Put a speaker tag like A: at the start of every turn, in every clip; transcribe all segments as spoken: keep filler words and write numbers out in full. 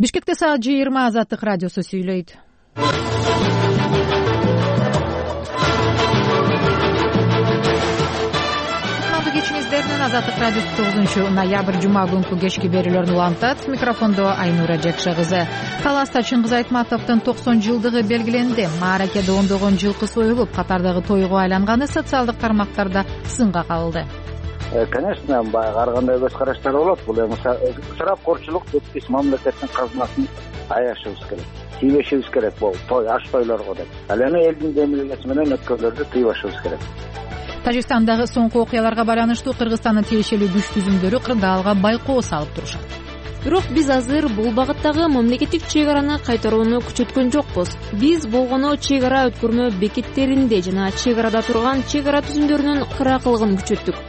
A: Бишкекте саат жыйырма Азаттык радиосу сүйлөйт. Кечиңиздердин Азаттык радиосу тогузунчу ноябрь жума күнкү кечки берүүлөрүн улантат. Микрофондо Айнура Жекше кызы. Таласта Чыңгыз Айтматовдун токсон жылдыгы белгиленди. Мааракеде ондогон жылкы союлуп, катардагы тойго айланганы социалдык тармактарда сынга кабылды.
B: Конечно, баягы ар кандай көз караштар болот. Бул эми ысырапкорчулук деп биз мамлекеттин казынасын аяшыбыз керек. Тийбешибиз керек бул той, аш тойлорго деп. Ал эми элдин демилгеси менен өткөрлөрдү тыйбашыбыз керек.
A: Тажикстандагы соңку окуяларга байланыштуу Кыргызстандын тиешелүү күч түзүмдөрү кырдаалга байкоо салып турушат.
C: Бирок биз азыр бул багыттагы мамлекеттик чек араны кайтарууну күчөткөн жокпуз. Биз болгону чек ара өткөрмө бекеттеринде жана чек арада турган чек ара түзүмдөрүнүн кыракылыгын күчөттүк.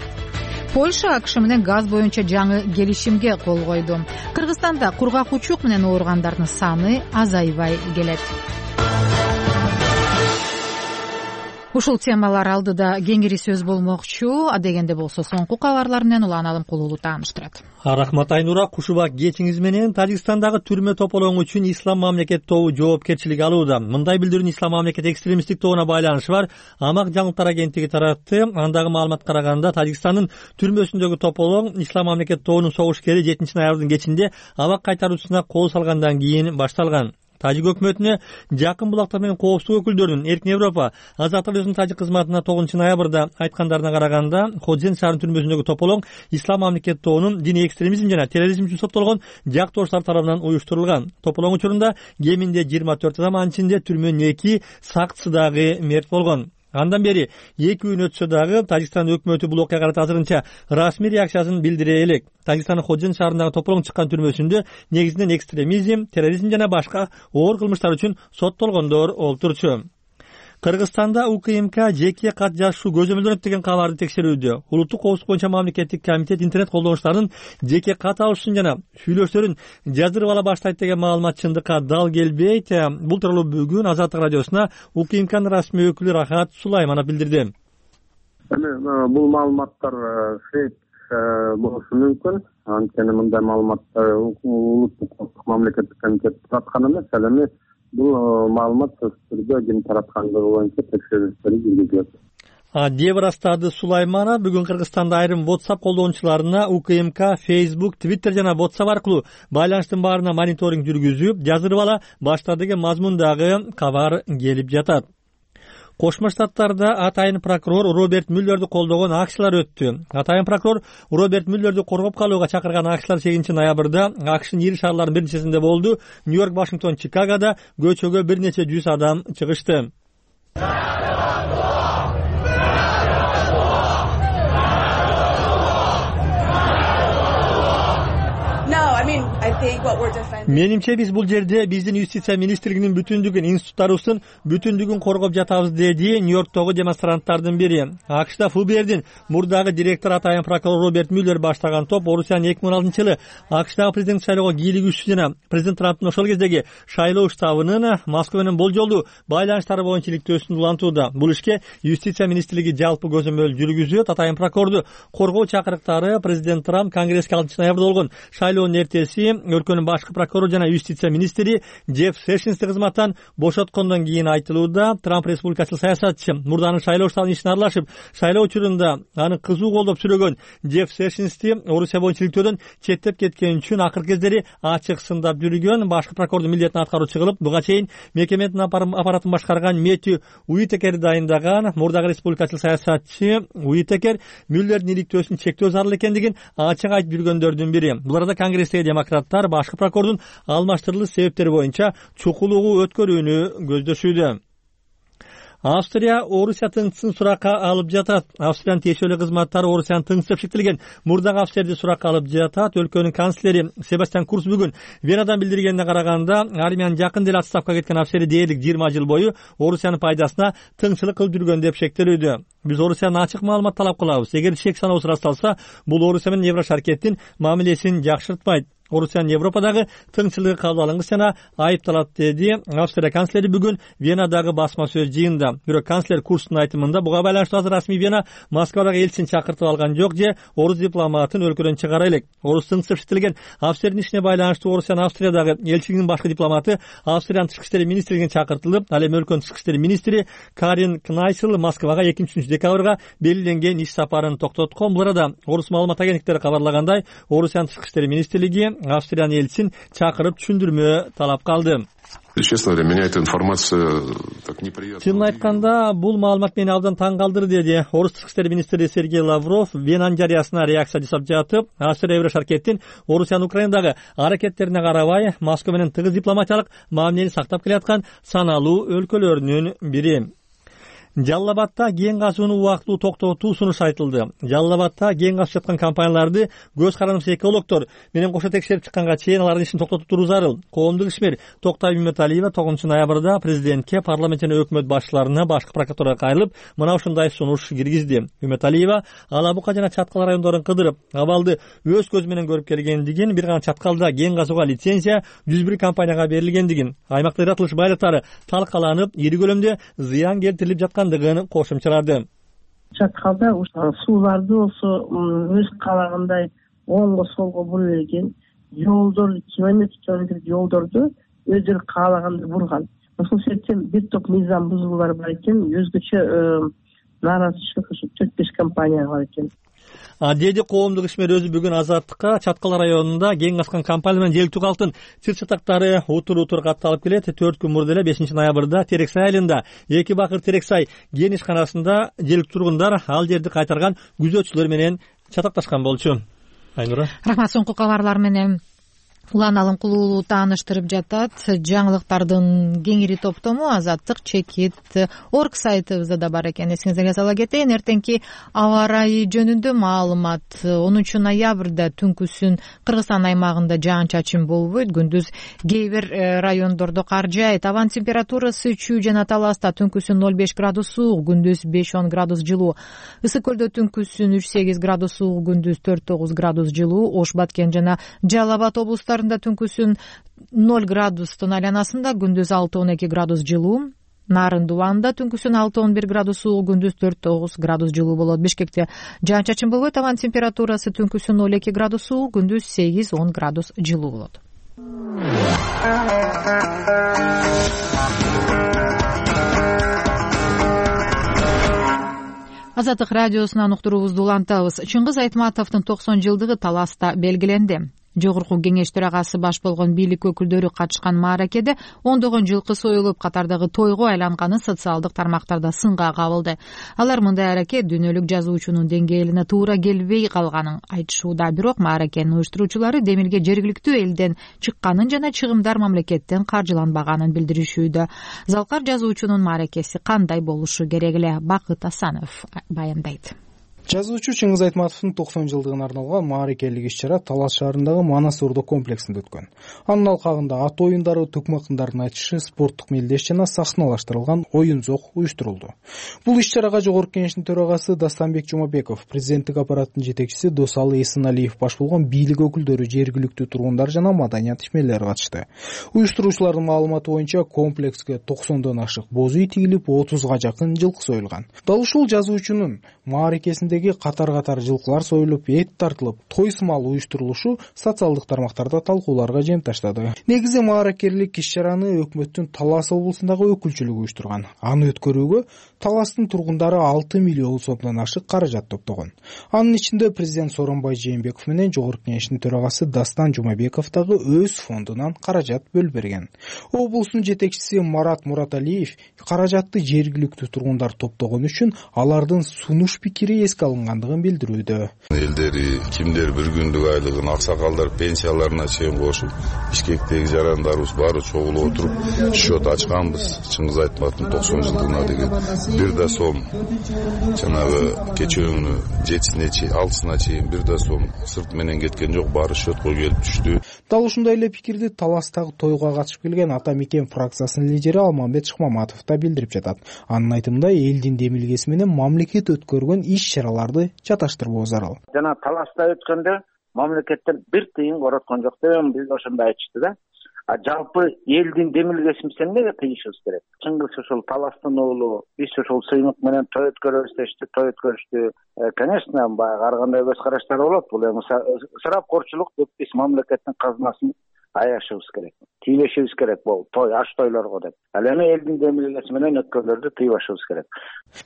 A: Польша АКШ менен газ боюнча жаңы келишимге кол койду. Кыргызстанда кургак учук менен ооругандардын саны азайбай келет. Ушул темалар алдыда кеңири сөз болмокчу. Адегенде болсо соңку кабарлар менен Улан Алымкулуу тааныштырат.
D: Рахмат Айнура, кушубак кечиңиз менен. Тажикстандагы түрмө тополоң үчүн Ислам мамлекет тобу жоопкерчилик алууда. Мындай билдирүүнү Ислам мамлекет экстремисттик тобуна байланышы бар Амак жаңылыктар агенттиги таратты. Андагы маалыматка караганда Тажикстандын түрмөсүндөгү тополоң Ислам мамлекет тобунун согушкери жетинчи ноябрдын кечинде абак кайтаруусуна кол салгандан кийин башталган. Тажик өкмөтүнө жакын булактар менен коопсуздук өкүлдөрүнүн Эркин Европа азаттык өзүнүн тажик кызматына тогузунчу ноябрда айткандарына караганда, Ходзен шаарынын түрмөсүндөгү тополоң Ислам мамлекет тобунун диний экстремизм жана терроризм үчүн соттолгон жактооштору тарабынан уюштурулган. Тополоң учурунда кеминде жыйырма төрт адам, анын ичинде түрмөнүн эки сакчысы дагы мерт болгон. Андан бери эки күн өтсө дагы Тажикстан өкмөтү бул окуяга карата азырынча расмий реакциясын билдире элек. Тажикстандын Ходзен шаарындагы тополоң чыккан түрмөсүндө негизинен экстремизм, терроризм жана башка оор кылмыштар үчүн соттолгондор олтурчу. Кыргызстанда УКМК жеке кат жазышуу көзөмөлдөнөт деген кабарды текшерүүдө. Улуттук коопсуздук боюнча мамлекеттик комитет интернет колдонуучулардын жеке кат алышын жана сүйлөшүүлөрүн жаздырып ала баштайт деген маалымат чындыкка дал келбейт. Бул тууралуу бүгүн Азаттык радиосуна УКМКнын расмий өкүлү Рахат Сулайманов билдирди.
E: Эми бул маалыматтар фейк болушу мүмкүн. Анткени мындай маалыматтар улуттук коопсуздук мамлекеттик комитет тараткан эмес. Ал эми бул маалымат түрдө ким тараткандыгы боюнча текшерүүлөр жүргүзүлөт.
D: деп ырастады Сулайманов бүгүн Кыргызстанда айрым WhatsApp колдонуучуларына УКМК, Facebook, Twitter жана WhatsApp аркылуу байланыштын баарына мониторинг жүргүзүп, жаздырып ала баштады деген мазмундагы кабар келип жатат. Кошмо Штаттарда атайын прокурор Роберт Мюллерди колдогон акциялар өттү. Атайын прокурор Роберт Мюллерди коргоп калууга чакырган акциялар сегизинчи ноябрда АКШнын ири шаарларынын бир нечесинде болду. Нью-Йорк, Вашингтон, Чикагода көчөгө бир нече жүз адам чыгышты. Менимче биз бул жерде биздин юстиция министрлигинин бүтүндүгүн, институттарыбыздын бүтүндүгүн коргоп жатабыз, деди Нью-Йорктогу демонстранттардын бири. АКШда ФБРдин мурдагы директору атайын прокурор Роберт Мюллер баштаган топ Орусиянын эки миң он алтынчы жылы АКШдагы президенттик шайлоого кийлигүүчүсү жана президент Трамптын ошол кездеги шайлоо штабынын Москва менен болжолдуу байланыштары боюнча иликтөөсүн улантууда. Бул ишке юстиция министрлиги жалпы көзөмөл жүргүзөт. Атайын прокурорду коргоо чакырыктары президент Трамп Конгресске алтынчы ноябрда болгон шайлоонун эртеси өлкөнүн башкы прокурору жана юстиция министри Джефф Сэшнсти кызматтан бошоткондон кийин айтылууда. Трамп республикачыл саясатчы мурданын шайлоо штабынын ишине аралашып, шайлоо учурунда аны кызуу колдоп сүрөгөн Джефф Сэшнсти Орусия боюнча иликтөөдөн четтеп кеткен үчүн акыркы кездери ачык сындап жүргөн. Башкы прокурордун милдетин аткаруучу кылып буга чейин мекеменин аппаратын башкарган Мэтью Уитекер дайындаган. Мурдагы республикачыл саясатчы Уитекер Мюллердин иликтөөсүн чектөө зарыл экендигин ачык айтып жүргөндөрдүн бири. Бул арада Конгресстеги демократтар башкы прокурордун алмаштырылыш себептери боюнча чукулугу өткөрүүнү көздөшүүдө. Австрия Орусия тыңчысын суракка алып жатат. Австриянын тиешелүү кызматтары Орусиянын тыңчысы деп шектелген мурдагы офицерди суракка алып жатат. Өлкөнүн канцлери Себастьян Курц бүгүн Венадан билдиргенине караганда, армиянын жакын деле отставкага кеткен офицери дээрлик жыйырма жыл бою Орусиянын пайдасына тыңчылык кылып жүргөн деп шектелүүдө. Биз Орусиядан ачык маалымат талап кылабыз. Эгер шек саноосу ырасталса, бул Орусия менен Еврошаркеттин мамилесин жакшыртпайт. Орусиянын Европадагы тынччылыгы кабыл алынгыс жана айыпталат, деди Австрия канцлери бүгүн Венадагы басма сөз жыйынында. Бирок канцлер Курстун айтымында буга байланыштуу азыр расмий Вена Москвадагы элчисин чакыртып алган жок же орус дипломатын өлкөдөн чыгара элек. Орус тынчсып иштетилген Австриянын ишине байланыштуу Орусиянын Австриядагы элчилигинин башкы дипломаты Австриянын тышкы иштер министрлигине чакыртылып, ал эми өлкөнүн тышкы иштер министри Карин Кнайсел Москвага экинчи үчүнчү декабрга белгиленген иш сапарын токтоткон. Бул арада орус маалымат агенттиктери кабарлагандай, Орусиянын тышкы иштер министрлиги Австриянын элчисин чакырып түшүндүрмө талап калды.
F: Честно говоря, меня эта информация так неприятно.
D: Чынын айтканда, бул маалымат мени абдан таң калтырды, деди Орус тышкы иштер министри Сергей Лавров Венанын жарыясына реакция жасап жатып. Австрия Евро шаркеттин Орусиянын Украинадагы аракеттерине карабай, Москва менен тыгыз дипломатиялык мамилени сактап келаткан саналуу өлкөлөрүнүн бири. Жалал Абадта кен казууну убактылуу токтотуу сунушу айтылды. Жалал Абадта кен казып жаткан компанияларды көз карандысыз экологдор менен кошо текшерип чыкканга чейин алардын ишин токтотуп туруу зарыл. Коомдук ишмер Токтай Үмөталиева тогузунчу ноябрда президентке, парламент жана өкмөт башчыларына, башкы прокуратурага кайрылып, мына ушундай сунуш киргизди. Үмөталиева Ала Бука жана Чаткал райондорун кыдырып, абалды өз көзү менен көрүп келгендигин, бир гана Чаткалда кен казууга лицензия жүз бир компанияга берилгендигин, аймакта ыратылыш байлыктары талкаланып, ири көлөмдө зыян келтирилип жаткан кошумчалады.
G: Чаткалда сууларды болсо өз каалагандай оңго солго бура берген, жолдор километр километр жолдорду өздөрү каалагандай бурган. Ошол себептен бир топ мыйзам бузуулар бар экен, өзгөчө нааразычылык ушу төрт беш компанияга бар экен.
D: Деди коомдук ишмер өзү бүгүн Азаттыкка Чаткал районунда кен казкан компания менен желектүү калктын чыр чатактары утур утур катталып келет. төрт күн мурда эле бешинчи ноябрда Терексай айылында эки бакыр Терексай кен ишканасында желектүү тургундар ал жерди кайтарган күзөтчүлөр менен чатакташкан болчу. Айнура.
A: Рахмат. Соңку кабарлар менен Улан Алымкулуу тааныштырып жатат. Жаңылыктардын кеңири топтому Азаттык чекит орг сайтыбызда да бар экен. Эсиңиздерге сала кетейин, эртеңки аба ырайы жөнүндө маалымат. онунчу ноябрда түнкүсүн Кыргызстан аймагында жаан-чачын болбойт. Күндүз кээ бир райондордо кар жаайт. Абанын температурасы Чүй жана Таласта түнкүсүн ноль беш градус суук, күндүз беш он градус жылуу. Ысык көлдө түнкүсүн үч сегиз градус суук, күндүз төрт тогуз градус жылуу. Ош, Баткен жана Жалал Абад облустарында түнкүсүн ноль градустун айланасында, күндүз алты он эки градус жылуу. Нарынды убагында түнкүсүн алты он бир градус суук, күндүз төрт тогуз градус жылуу болот. Бишкекте жаан-чачын болбойт. Абанын температурасы түнкүсүн ноль эки градус суук, күндүз сегиз он градус жылуу болот. Азаттык радиосунан уктуруубузду улантабыз. Чыңгыз Айтматовдун токсон жылдыгы Таласта белгиленди. Жогорку кеңеш төрагасы баш болгон бийлик өкүлдөрү катышкан мааракеде ондогон жылкы союлуп, катардагы тойго айланганы социалдык тармактарда сынга кабылды. Алар мындай аракет дүйнөлүк жазуучунун деңгээлине туура келбей калганын айтышууда. Бирок мааракенин уюштуруучулары Демилге жергиликтүү элден чыкканын жана чыгымдар мамлекеттен каржыланбаганын билдиришүүдө. Залкар жазуучунун мааракеси кандай болушу керек эле? Бакыт Асанов баяндайт.
H: Жазуучу Чыңгыз Айтматовдун токсон жылдыгына арналган мааракелик иш-чара Талас шаарындагы Манас ордо комплексинде өткөн. Анын алкагында ат оюндары, тукмакындардын айтышы, спорттук мелдеш жана сахналаштырылган оюн-зок уюштурулду. Бул иш-чарага жогорку кеңештин төрагасы Дастанбек Жумабеков, президенттик аппараттын жетекчиси Досалы Эсеналиев баш болгон бийлик өкүлдөрү, жергиликтүү тургундар жана маданият ишмерлери катышты. Уюштуруучулардын маалыматы боюнча комплекске токсондон ашык боз үй тигилип, отузга жакын жылкы союлган. Дал ушул жазуучунун мааракесинде катар-катар жылкылар союлуп, эт тартылып, той сымал уюштурулушу социалдык тармактарда талкууларга жем таштады. Негизи мааракерлик иш-чараны өкмөттүн Талас облусундагы өкүлчүлүгү уюштурган. Аны өткөрүүгө Таластын тургундары алты миллион сомдон ашык каражат топтогон. Анын ичинде президент Сооронбай Жээнбеков менен жогорку кеңештин төрагасы Дастан Жумабеков дагы өз фондунан каражат бөлүп берген. Облустун жетекчиси Марат Мураталиев каражатты жергиликтүү тургундар топтогон үчүн алардын сунуш пикири эске алынгандыгын билдирүүдө.
F: Элдери кимдер бир күндүк айлыгын, аксакалдар пенсияларына чейин кошуп, Бишкектеги жарандарыбыз баары чогулуп отуруп счет ачканбыз. Чыңгыз Айтматовдун токсон жылдыгына деген бир да сом жанагы кечөөңүнү жетисине чейин, алтысына чейин бир да сом сырт менен кеткен жок, баары счетко келип түштү.
H: Дал ушундай эле пикирди Таластагы тойго катышып келген Ата Мекен фракциясынын лидери Алмамбет Шыкмаматов да билдирип жатат. Анын айтымында элдин демилгеси менен мамлекет өткөргөн иш-чараларды чаташтырбоо зарыл.
B: Жана Таласта өткөндө мамлекеттен бир тыйын короткон жок деп биз ошондой айтышты да. А жалпы элдин демилгесин биз эмнеге тыйышыбыз керек? Чыңгыз ушул таластын уулу, биз ушул сыймык менен той өткөрөбүз дешти, той өткөрүштү. Конечно, баягы ар кандай көз караштар болот. Бул эми ысырапкорчулук деп биз мамлекеттин казынасын аяшыбыз керек, тийбешибиз керек бул той аш тойлорго деп. Ал эми элдин демилгеси менен өткөндөрдү тыйбашыбыз керек.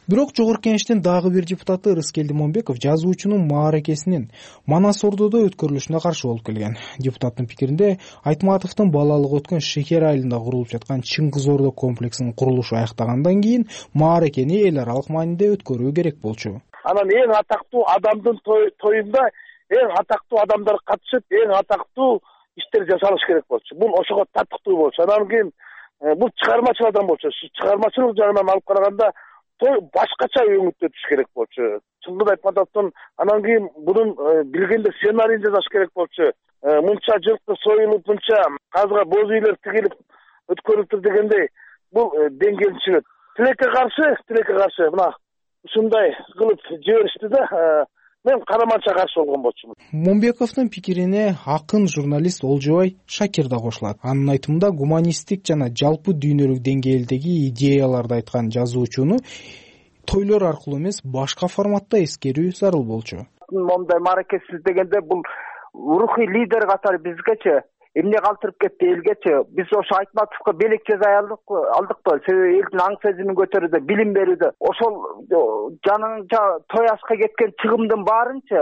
H: Бирок Жогорку Кеңештин дагы бир депутаты Рыскелди Момбеков жазуучунун мааракесинин Манас Ордодо өткөрүлүшүнө каршы болуп келген. Депутаттын пикиринде Айтматовдун балалыгы өткөн Шекер айылында курулуп жаткан Чыңгыз Ордо комплексинин курулушу аяктагандан кийин мааракени эл аралык мааниде өткөрүү керек болчу.
I: Анан эң атактуу адамдын тоюнда эң атактуу адамдар катышып, эң атактуу иштер жасалыш керек болчу. Бул ошого татыктуу болчу. Анан кийин бул чыгармачыл адам болчу. Чыгармачылык жагынан алып караганда той башкача өңүттөтүш керек болчу. Чыңгыз Айтматовдун анан кийин бунун билгенде сценарийин жасаш керек болчу. Мынча жылкы союлуп, мынча казга боз үйлөр тигилип өткөрүлүптүр дегендей бул деңгээлчилик. Тилекке каршы, тилекке каршы мына ушундай кылып жиберишти да. Мен караманча каршы болгон болчумун.
H: Момбековдун пикирине акын журналист Олжобай Шакир да кошулат. Анын айтымында гуманисттик жана жалпы дүйнөлүк деңгээлдеги идеяларды айткан жазуучуну тойлор аркылуу эмес, башка форматта эскерүү зарыл болчу.
B: Момундай мааракесиз дегенде бул рухий лидер катары бизгечи эмне калтырып кетти элгечи. Биз ошо Айтматовго белек жаза алдыкпы? Себеби элдин аң сезимин көтөрүүдө, билим берүүдө. Ошол жаныңча той ашка кеткен чыгымдын баарынчы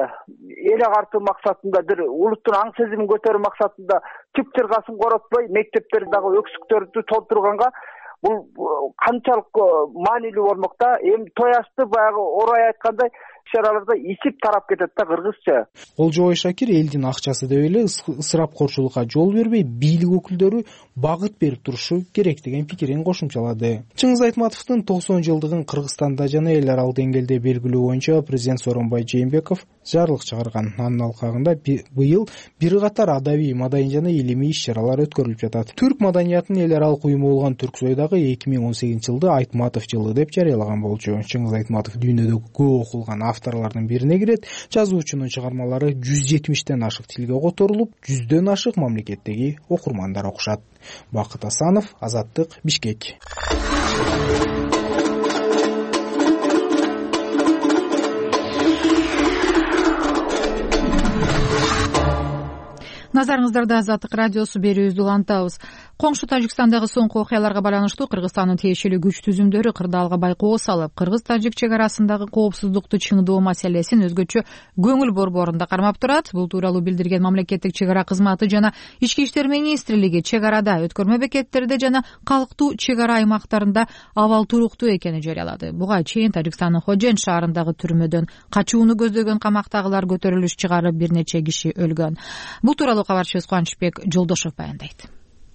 B: эл агартуу максатында, бир улуттун аң сезимин көтөрүү максатында чып чыргасын коротпой, мектептерди дагы өксүктөрдү толтурганга бул канчалык маанилүү болмок да. Эми той ашты баягы орай айткандай ишараларда исип тарап кетет да кыргызча.
H: Олжобай Шакир элдин акчасы деп эле ысырапкорчулукка жол бербей, бийлик өкүлдөрү багыт берип турушу керек деген пикирин кошумчалады. Чыңгыз Айтматовдун токсон жылдыгын Кыргызстанда жана эл аралык деңгээлде белгилөө боюнча президент Сооронбай Жээнбеков жарлык чыгарган. Анын алкагында быйыл бир катар адабий, маданий жана илимий иш-чаралар өткөрүлүп жатат. Түрк маданиятынын эл аралык уюму болгон Түрксой дагы эки миң он сегизинчи жылды Айтматов жылы деп жарыялаган болчу. Чыңгыз Айтматов дүйнөдө көп окулган авторлордун бирине кирет. Жазуучунун чыгармалары жүз жетимиштен ашык тилге которулуп, жүздөн ашык мамлекеттеги окурмандар окушат. Бакыт Асанов, Азаттык, Бишкек.
A: Назарыңыздарда Азаттык радиосу берүүбүздү улантабыз. Коңшу Тажикстандагы соңку окуяларга байланыштуу Кыргызстандын тиешелүү күч түзүмдөрү кырдаалга байкоо салып, кыргыз-тажик чек арасындагы коопсуздукту чыңдоо маселесин өзгөчө көңүл борборунда кармап турат. Бул тууралуу билдирген мамлекеттик чек ара кызматы жана Ички иштер министрлиги чек арада, өткөрмө бекеттерде жана калктуу чек ара аймактарында абал туруктуу экенин жарыялады. Буга чейин Тажикстандын Ходжент шаарындагы түрмөдөн качууну көздөгөн камактагылар көтөрүлүш чыгарып, бир нече киши өлгөн. Бул тууралуу кабарчыбыз Кубанычбек Жолдошов баяндайт.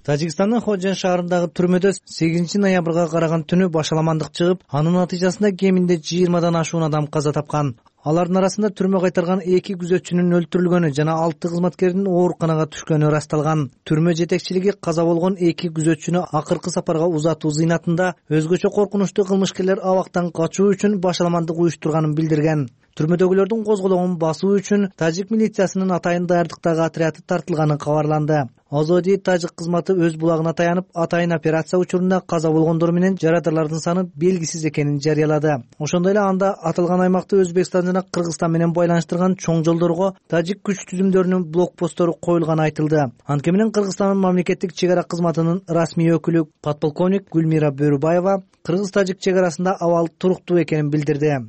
J: Тажикстандын Ходжент шаарындагы түрмөдө сегизинчи ноябрга караган түнү башаламандык чыгып, анын натыйжасында кеминде жыйырмадан ашуун адам каза тапкан. Алардын арасында түрмө кайтарган эки күзөтчүнүн өлтүрүлгөнү жана алты кызматкердин ооруканага түшкөнү ырасталган. Түрмө жетекчилиги каза болгон эки күзөтчүнү акыркы сапарга узатуу зыйнатында өзгөчө коркунучтуу кылмышкерлер абактан качуу үчүн башаламандык уюштурганын билдирген. Түрмөдөгүлөрдүн козголоңун басуу үчүн тажик милициясынын атайын даярдыктагы отряды тартылганы кабарланды. Озоди тажик кызматы өз булагына таянып, атайын операция учурунда каза болгондор менен жарадарлардын саны белгисиз экенин жарыялады. Ошондой эле анда аталган аймакты Өзбекстан жана Кыргызстан менен байланыштырган чоң жолдорго тажик күч түзүмдөрүнүн блокпосттору коюлганы айтылды. Анткени менен Кыргызстандын мамлекеттик чек ара кызматынын расмий өкүлү подполковник Гүлмира Бөрүбаева кыргыз-тажик чек арасында абал туруктуу экенин билдирди.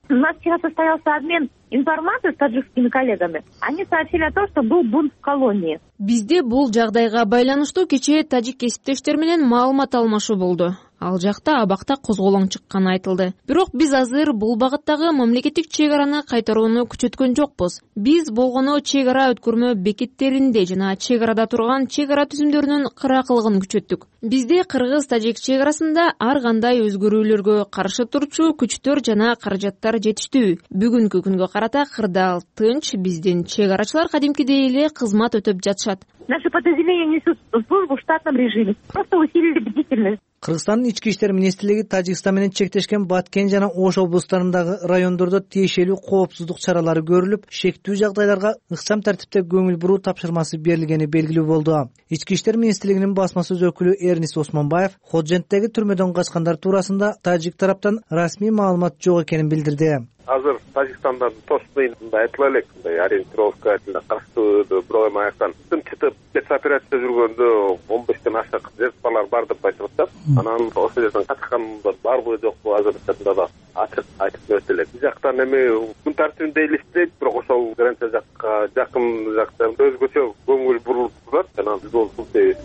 K: У нас вчера состоялся обмен информацией с таджикскими коллегами. Они сообщили о том, что был бунт в колонии.
C: Бизде бул жагдайга байланыштуу кечээ тажик кесиптештер менен маалымат алмашуу болду. Ал жакта абакта козголоң чыкканы айтылды. Бирок биз азыр бул багыттагы мамлекеттик чек араны кайтарууну күчөткөн жокпуз. Биз болгону чек ара өткөрмө бекеттеринде жана чек арада турган чек ара түзүмдөрүнүн кыракылыгын күчөттүк. Бизде кыргыз-тажик чек арасында ар кандай өзгөрүүлөргө каршы турчу күчтөр жана каражаттар жетиштүү. Бүгүнкү күнгө карата кырдаал тынч, биздин чек арачылар кадимкидей эле кызмат өтөп жатышат.
K: Наши подразделения несут службу в штатном режиме. Просто усилили бдительность.
J: Кыргызстандын ички иштер министрлиги Тажикстан менен чектешкен Баткен жана Ош облустарындагы райондордо тиешелүү коопсуздук чаралары көрүлүп, шектүү жагдайларга ыкчам тартипте көңүл буруу тапшырмасы берилгени белгилүү болду. Ички иштер министрлигинин басма сөз өкүлү Эрнис Осмонбаев Ходженттеги түрмөдөн качкандар туурасында тажик тараптан расмий маалымат жок экенин билдирди.
L: Азыр Тажикстандан точный айтыла элек, мындай ориентировка караштуу бирок аяктан чытып спецоперация жүргөндө он бештен ашык жертвалар бар деп айтып атат. Анан ошол жерден качкандар барбы жокпу азыр да ачык айтып берет элек. Бул жактан эми күн тартибинде элестейт, бирок ошол граница жакка жакын жакта өзгөчө көңүл бурулуп турат. Анан биз ол мындай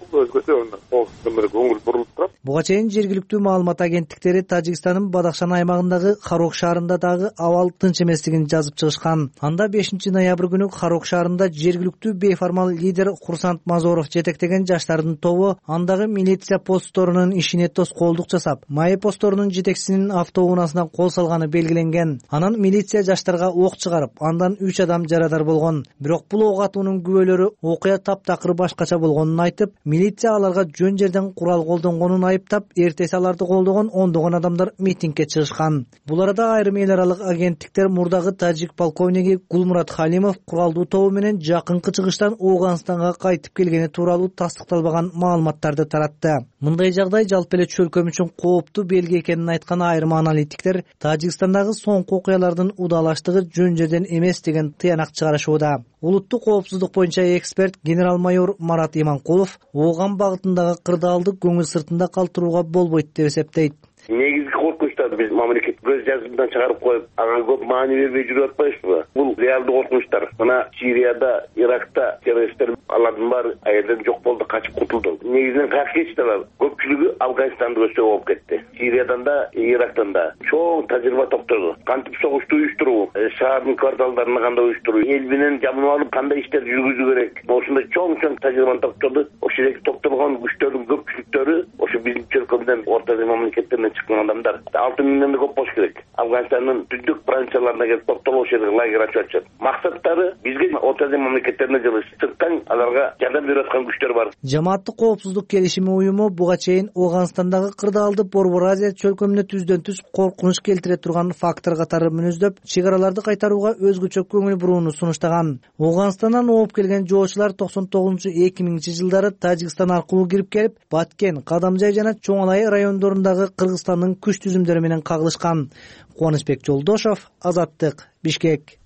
L: өзгөчө көңүл бурулуп турат.
J: Буга чейин жергиликтүү маалымат агенттиктери Тажикстандын Бадахшан аймагындагы Харок шаарында дагы абал тынч эместигин жазып чыгышкан. Анда бешинчи ноябрь күнү Харок шаарында жергиликтүү бейформал лидер Курсант Мазоров жетектеген жаштардын тобу андагы милиция постторунун ишине тоскоолдук жасап, май постторунун жетекчисинин автоунаасына кол салганы белгиленген. Анан милиция жаштарга ок чыгарып, андан үч адам жарадар болгон. Бирок бул ок атуунун күбөлөрү окуя таптакыр башкача болгонун айтып, милиция аларга жөн жерден курал колдонгонун айыптап, эртеси аларды колдогон ондогон адамдар митингге чыгышкан. Бул арада айрым эл аралык агенттиктер мурдагы тажик полковниги Гулмурат Халимов куралдуу тобу менен жакынкы чыгыштан Ооганстанга кайтып келгени тууралуу тастыкталбаган маалыматтарды таратты. Мындай жагдай жалпы эле чөлкөм үчүн кооптуу белги экенин айткан айрым аналитиктер Тажикстандагы соңку окуялардын удалаштыгы жөн жерден эмес деген тыянак чыгарышууда. Улуттук коопсуздук боюнча эксперт генерал-майор Марат Иманкулов Ооган багытындагы кырдаалды көңүл сыртында калтырууга болбойт деп эсептейт.
L: Негизги коркунучтарды биз мамлекет көз жазымдан чыгарып коюп, ага көп маани бербей жүрүп атпайбызбы? Бул реалдуу коркунучтар. Мына Сирияда, Иракта террористтер алардын баары аерден жок болду, качып кутулду. Негизинен каяка кетишти алар? Көпчүлүгү Афганистанда өсө болуп кетти. Сириядан да, Ирактан да чоң тажрыйба топтоду. Кантип согушту уюштуруу, шаардын кварталдарын кандай уюштуруу, эл менен жамынып алып кандай иштер жүргүзүү керек. Ошондой чоң-чоң тажрыйбаны топтоду. Ошол жерде топтолгон күчтөрдүн көпчүлүктөрү ошо биздин чөлкөмдөн Орто Азия мамлекеттеринен чыккан адамдар. алты миңден да көп болуш керек. Афганистандын түндүк провинцияларына келип топтолуп ошол жерде лагерь ачып атышат. Максаттары бизге Орто Азия мамлекеттерине жылыш. Сырттан аларга жардам берип аткан күчтөр бар.
J: Жамааттык коопсуздук келишими уюму буга чейин Ооганстандагы кырдаалды Борбор Азия чөлкөмүнө түздөн түз коркунуч келтире турган фактор катары мүнөздөп, чек араларды кайтарууга өзгөчө көңүл бурууну сунуштаган. Ооганстандан ооп келген жоочулар токсон тогузунчу эки миңинчи жылдары Тажикстан аркылуу кирип келип, Баткен, Кадамжай жана Чоңалай райондорундагы Кыргызстандын күч түзүмдөрү менен кагылышкан. Кубанычбек Жолдошов, Азаттык, Бишкек.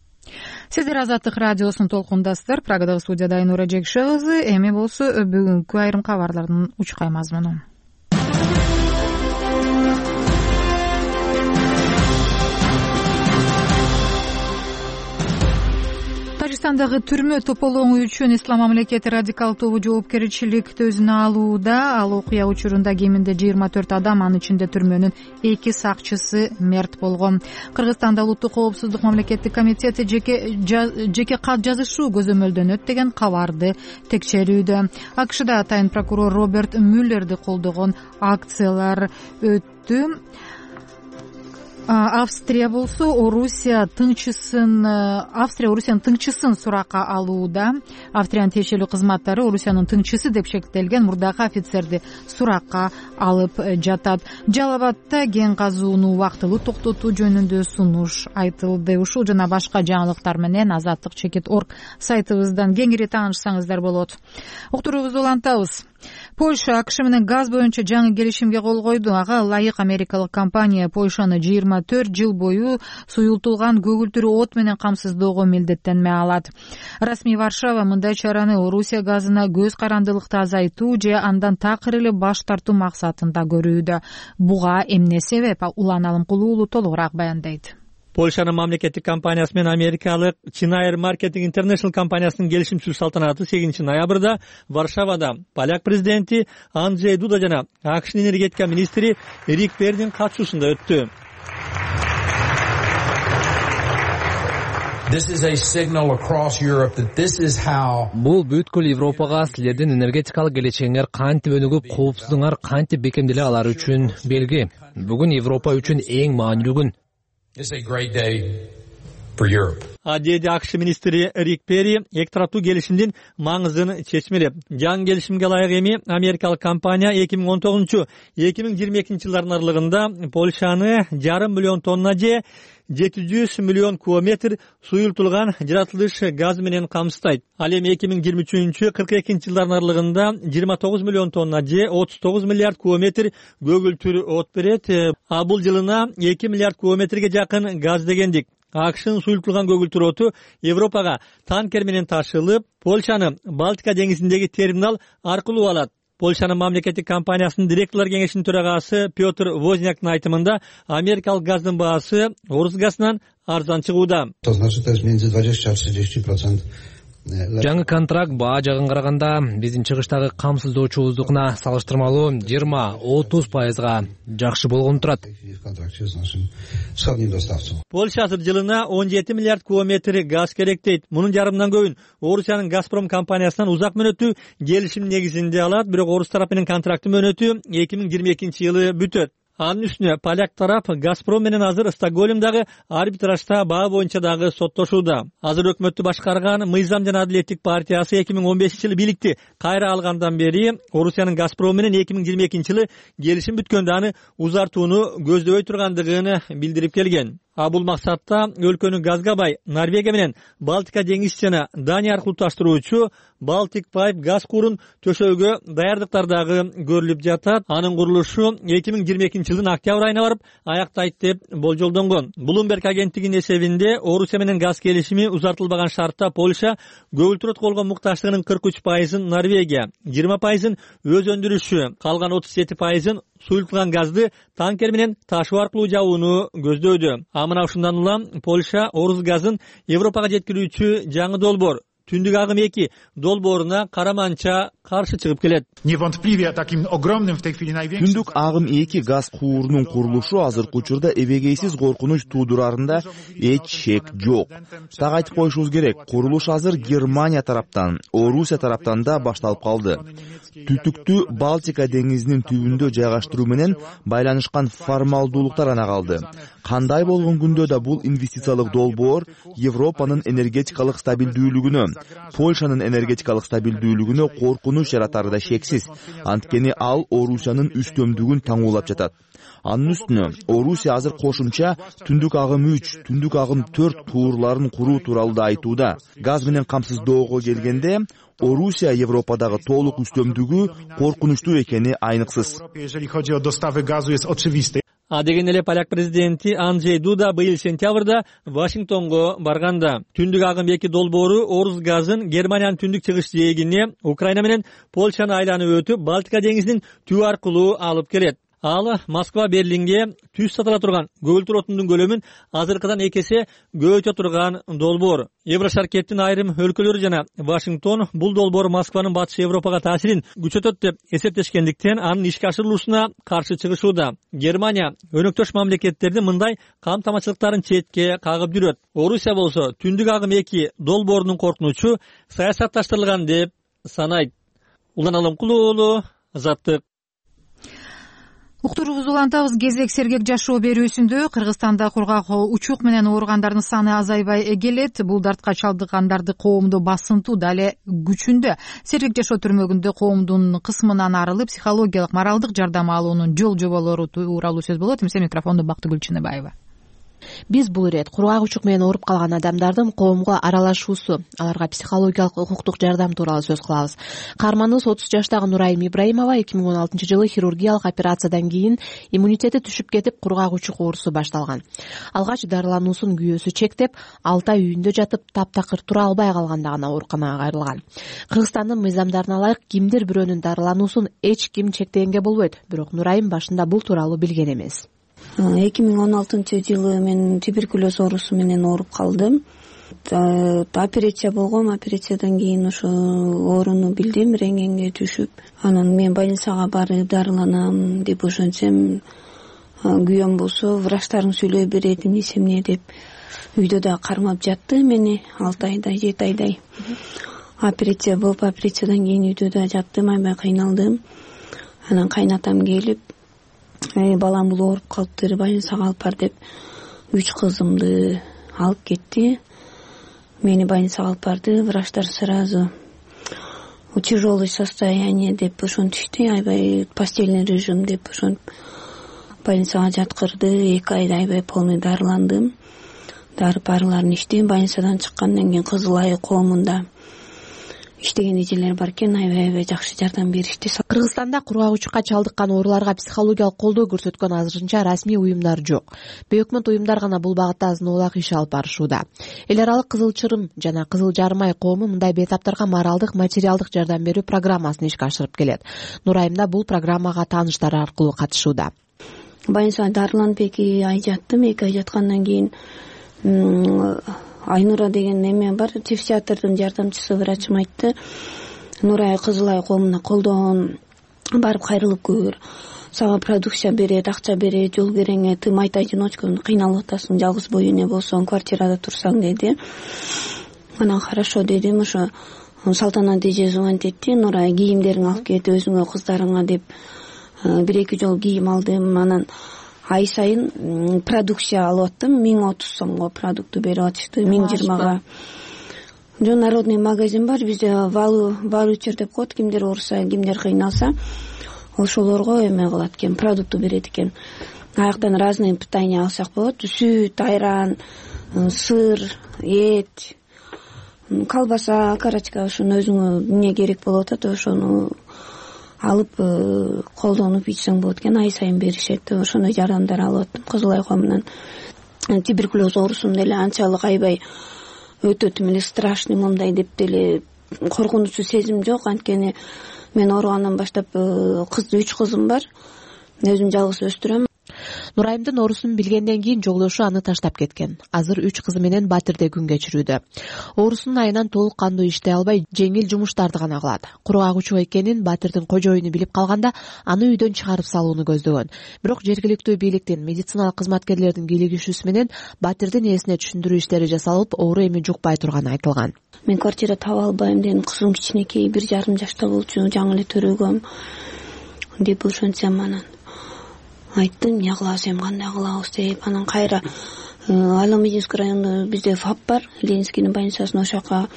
A: Сиздер Азаттык радиосун толкундасыздар. Прагадагы студияда Айнура Жекше кызы. Эми болсо бүгүнкү айрым кабарлардын учкай мазмуну. Тажикстандагы түрмө тополоңу үчүн Ислам мамлекети радикал тобу жоопкерчиликти өзүнө алууда. Ал окуя учурунда кеминде жыйырма төрт адам, анын ичинде түрмөнүн эки сакчысы мерт болгон. Кыргызстанда улуттук коопсуздук мамлекеттик комитети жеке жеке кат жазышуу көзөмөлдөнөт деген кабарды текшерүүдө. АКШда атайын прокурор Роберт Мюллерди колдогон акциялар өттү. Австрия болсо Орусия тыңчысын Австрия Орусиянын тыңчысын суракка алууда. Австриянын тиешелүү кызматтары Орусиянын тыңчысы деп шектелген мурдагы офицерди суракка алып жатат. Жалал Абадта кен казууну убактылуу токтотуу жөнүндө сунуш айтылды. Ушул жана башка жаңылыктар менен азаттык чекит точка орг сайтыбыздан кеңири таанышсаңыздар болот. Уктуруубузду улантабыз. Польша АКШ менен газ боюнча жаңы келишимге кол койду. Ага ылайык америкалык компания Польшаны жыйырма төрт жыл бою суюлтулган көгүлтүрүү от менен камсыздоого милдеттенме алат. Расмий Варшава мындай чараны Орусия газына көз карандылыкты азайтуу же андан такыр эле баш тартуу максатында көрүүдө. Буга эмне себеп? Улан Алымкулуулу толугураак баяндайт.
D: Польшанын мамлекеттик компаниясы менен америкалык Чинайр Marketing International компаниясынын келишимчилик салтанаты сегизинчи ноябрда Варшавада поляк президенти Анджей Дуда жана АКШнын энергетика министри Рик Пердин катышуусунда өттү.
M: Бул бүткүл Европага силердин энергетикалык келечегиңер кантип өнүгүп, коопсуздугуңар кантип бекемделе алары үчүн белги. Бүгүн Европа үчүн эң маанилүү күн.
D: деди АКШ министри Рик Перри эки тараптуу келишимдин маңызын чечмелеп. Жаңы келишимге ылайык эми америкалык компания эки миң он тогузунчу эки миң жыйырма экинчи жылдардын аралыгында Польшаны жарым миллион тонна же жети жүз миллион кубометр суюлтулган жаратылыш газы менен камсыздайт. Ал эми эки миң жыйырма үчүнчү кырк экинчи жылдардын аралыгында жыйырма тогуз миллион тонна же отуз тогуз миллиард кубометр көгүлтүр от берет. А бул жылына эки миллиард кубометрге жакын газ дегендик. АКШнын суюлтулган көгүлтүр оту Европага танкер менен ташылып, Польшаны Балтика деңизиндеги терминал аркылуу алат. Польшанын мамлекеттик компаниясынын директорлор кеңешинин төрагасы Петр Возняктын айтымында америкалык газдын баасы орус газынан арзан чыгууда.
M: Жаңы контракт баа жагын караганда биздин чыгыштагы камсыздоочубуздукуна салыштырмалуу жыйырма отуз пайызга жакшы болгон турат.
D: Польша азыр жылына он жети миллиард кубометр газ керек дейт. Мунун жарымынан көбүн Орусиянын Газпром компаниясынан узак мөөнөттүү келишим негизинде алат, бирок орус тарапы менен контракттын мөөнөтү эки миң жыйырма экинчи жылы бүтөт. Анын үстүнө поляк тарап Газпром менен азыр Стокгольмдагы арбитражда баа боюнча дагы соттошууда. Азыр өкмөттү башкарган Мыйзам жана Адилеттик партиясы эки миң он бешинчи жылы бийликти кайра алгандан бери Орусиянын Газпром менен эки миң жыйырма экинчи жылы келишим бүткөндө аны узартууну көздөбөй тургандыгын билдирип келген. А бул максатта өлкөнү газга бай Норвегия менен Балтика деңиз жана Дания аркылуу таштыруучу Baltic Pipe газ куурун төшөөгө даярдыктар дагы көрүлүп жатат. Анын курулушу эки миң жыйырма экинчи жылдын октябрь айына барып аяктайт деп болжолдонгон. Bloomberg агенттигинин эсебинде Орусия менен газ келишими узартылбаган шартта Польша көгүлтүр отко болгон муктачтыгынын кырк үч пайызын Норвегия, жыйырма пайызын өз өндүрүшү, калган отуз жети пайызын суюлтулган газды танкер менен ташуу аркылуу жабууну көздөйдү. А мына ушундан улам Польша орус газын Европага жеткирүүчү жаңы долбоор Түндүк агым эки долбооруна караманча каршы чыгып келет.
N: Түндүк агым эки газ куурунун курулушу азыркы учурда эбегейсиз коркунуч туудурарында эч шек жок. Так айтып коюшубуз керек, курулуш азыр Германия тараптан, Орусия тараптан да башталып калды. Түтүктү Балтика деңизинин түбүндө жайгаштыруу менен байланышкан формалдуулуктар ана калды. Кандай болгон күндө да бул инвестициялык долбоор Европанын энергетикалык стабилдүүлүгүнө, Польшанын энергетикалык стабилдүүлүгүнө коркунуч жаратары да шексиз. Анткени ал Орусиянын үстөмдүгүн таңуулап жатат. Анын үстүнө Орусия азыр кошумча Түндүк агым үч, Түндүк агым төрт куурларын куруу тууралуу да айтууда. Газ менен камсыздоого келгенде Орусия Европадагы толук үстөмдүгү коркунучтуу экени айныксыз.
D: А деген эле поляк президенти Анджей Дуда быйыл сентябрда Вашингтонго барганда Түндүк агым эки долбоору орус газын Германиянын түндүк чыгыш жээгине Украина менен Польшаны айланып өтүп Балтика деңизинин түбү аркылуу алып келет. Ал Москва Берлинге түз сатыла турган көгүлтүр отундун көлөмүн азыркыдан эки эсе көбөйтө турган долбоор. Еврошаркеттин айрым өлкөлөрү жана Вашингтон бул долбоор Москванын батыш Европага таасирин күчөтөт деп эсептешкендиктен анын ишке ашырылуусуна каршы чыгышууда. Германия өнөктөш мамлекеттердин мындай камтамачылыктарын четке кагып жүрөт. Орусия болсо Түндүк агым эки долбоорунун коркунучу саясатташтырылган деп санайт. Улан Алымкулуу уулу, Азаттык.
A: Уктуруубузду улантабыз. Кезек сергек жашоо берүүсүндө Кыргызстанда кургак учук менен ооругандардын саны азайбай келет. Бул дартка чалдыккандарды коомдо басынтуу дале күчүндө. Сергек жашоо түрмөгүндө коомдун кысмынан арылып, психологиялык, моралдык жардам алуунун жол жоболору тууралуу сөз болот. Эмесе микрофондо Бактыгүл Чыныбаева.
O: Биз бул ирет кургак учук менен ооруп калган адамдардын коомго аралашуусу, аларга психологиялык, укуктук жардам тууралуу сөз кылабыз. Каарманыбыз отуз жаштагы Нурайым Ибраимова эки миң он алтынчы жылы хирургиялык операциядан кийин иммунитети түшүп кетип, кургак учук оорусу башталган. Алгач дарылануусун күйөөсү чектеп, алты ай үйүндө жатып, таптакыр тура албай калганда гана ооруканага кайрылган. Кыргызстандын мыйзамдарына ылайык кимдир бирөөнүн дарылануусун эч ким чектегенге болбойт, бирок Нурайым башында бул тууралуу билген эмес.
P: эки миң он алтынчы жылы мен туберкулез оорусу менен ооруп калдым. Операция болгом, операциядан кийин ошо ооруну билдим, рентгенге түшүп, анан мен больницага барып дарыланам деп ошентсем, күйөөм болсо врачтардын сүйлөй берет эмнесе эмне деп үйдө да кармап жатты мени алты айдай, жети айдай. Операция болуп, операциядан кийин үйдө да жаттым, аябай кыйналдым. Анан кайнатам келип, балам бул ооруп калыптыр, больницага алып бар деп үч кызымды алып кетти. кетти. Мени больницага алып барды. Врачтар сразу тяжелое состояние деп ошентишти. Аябай постельный режим деп ошентип больницага жаткырды. эки айда аябай полный дарыландым. Дары барыларын иштейм. Больницадан чыккандан кийин Кызыл Ай коомунда иштеген эжелер бар экен, аябай аябай жакшы жардам беришти.
O: Кыргызстанда кургагучукка чалдыккан ооруларга психологиялык колдоо көрсөткөн азырынча расмий уюмдар жок. Бейөкмөт уюмдар гана бул багытта азын-оолак иш алып барышууда. Эл аралык Кызыл Чырым жана Кызыл Жарым Ай коому мындай бейтаптарга моралдык, материалдык жардам берүү программасын ишке ашырып келет. Нурайымда бул программага тааныштары аркылуу катышууда.
P: Больницада дарыланып эки ай жаттым. эки ай жаткандан кийин Айнура деген эме бар, психиатрдын жардамчысы врачым айтты. Нурай Кызыл Ай коомуна колдоон барып кайрылып көр. Сага продукция берет, акча берет, жол кереңе, ты майта-одиночка кыйналып атасың, жалгыз бой эне болсоң, квартирада турсаң деди. Анан хорошо дедим. Ошо Салтанат эже звонить этти. Нурай кийимдериңди алып кет өзүңө, кыздарыңа деп бир эки жол кийим алдым. Анан ай сайын продукция алып аттым. миң отуз сомго продукту берип атышты, миң жыйырмага. Жо народный магазин бар бизде, валучер деп коет, кимдер ооруса, кимдер кыйналса ошолорго эме кылат экен, продукту берет экен. Аяктан разные питание алсак болот. Сүт, айран, сыр, эт, колбаса, карачка, ошону өзүңө эмне керек болуп атат, ошону алып колдонуп ичсең болот экен. Ай сайын беришет. Ошондой жардамдар алып аттым Кызыл Ай коомунан. Туберкулез оорусум деле анчалык аябай өтө тим эле страшный момундай деп деле коркунучсу сезим жок. Анткени мен ооругандан баштап кыз үч кызым бар. Өзүм жалгыз өстүрөм.
O: Нурайымдын оорусун билгенден кийин жолдошу аны таштап кеткен. Азыр үч кызы менен Батирде күн кечирүүдө. Оорусунун айынан толук кандуу иштей албай, жеңил жумуштарды гана кылат. Кургагучу экенин Батирдин кожоюну билип калганда, аны үйдөн чыгарып салууну көздөгөн. Бирок жергиликтүү бийликтин, медициналык кызматкерлердин кийлигишүүсү менен Батирдин ээсине түшүндүрүү иштери жасалып, оору эми жукпай турганы айтылган.
P: Мен квартира таба албайм дедим. Кызым кичинекей, бир жарым жашта болчу, жаңы эле төрөгөм деп ошентсем, анан айттым, эмне кылабыз, эми кандай кылабыз деп. Анан кайра Айло-Мединский районунда бизде ФАП бар, Ленинскийдин больницасына, ошол жака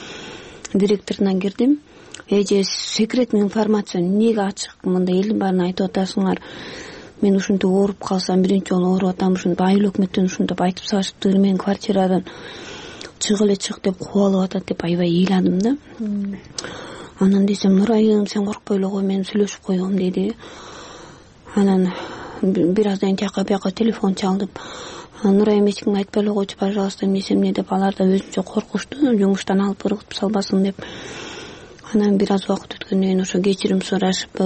P: директоруна кирдим. Эже секретный информация эмнеге ачык, мындай элдин баарына айтып атасыңар. Мен ушинтип ооруп калсам, биринчи жолу ооруп атам, ушинтип айыл өкмөттөн ушинтип айтып салышыптыр, мен квартирадан чык эле чык деп кубалып атат деп аябай ыйладым да. Анан десем, Нурайым, сен коркпой эле кой, мен сүйлөшүп койгом деди. Анан бир аздан тияка бияка телефон чалдып, Нурайым эч кимге айтпай эле койчу, пожалуйста, эмнесе эмне деп, алар да өзүнчө коркушту, жумуштан алып ыргытып салбасын деп. Анан бир аз убакыт өткөндөн кийин ошо кечирим сурашып,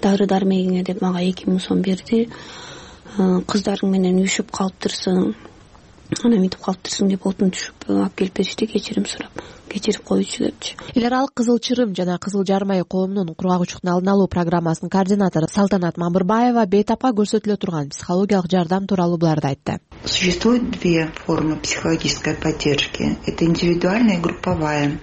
P: дары дармегиңе деп мага эки миң сом берди. Кыздарың менен үйшүп калыптырсың, анан мынтип калыптырсың деп отун түшүп алып келип беришти, кечирим сурап, кечирип коючу депчи.
O: Эл аралык Кызыл Чырым жана Кызыл Жарым Ай коомунун кургагучуктун алдын алуу программасынын координатору Салтанат Мамырбаева бейтапка көрсөтүлө турган психологиялык жардам тууралуу буларды айтты.
Q: Существует две формы психологической поддержки. Это индивидуальная и групповая.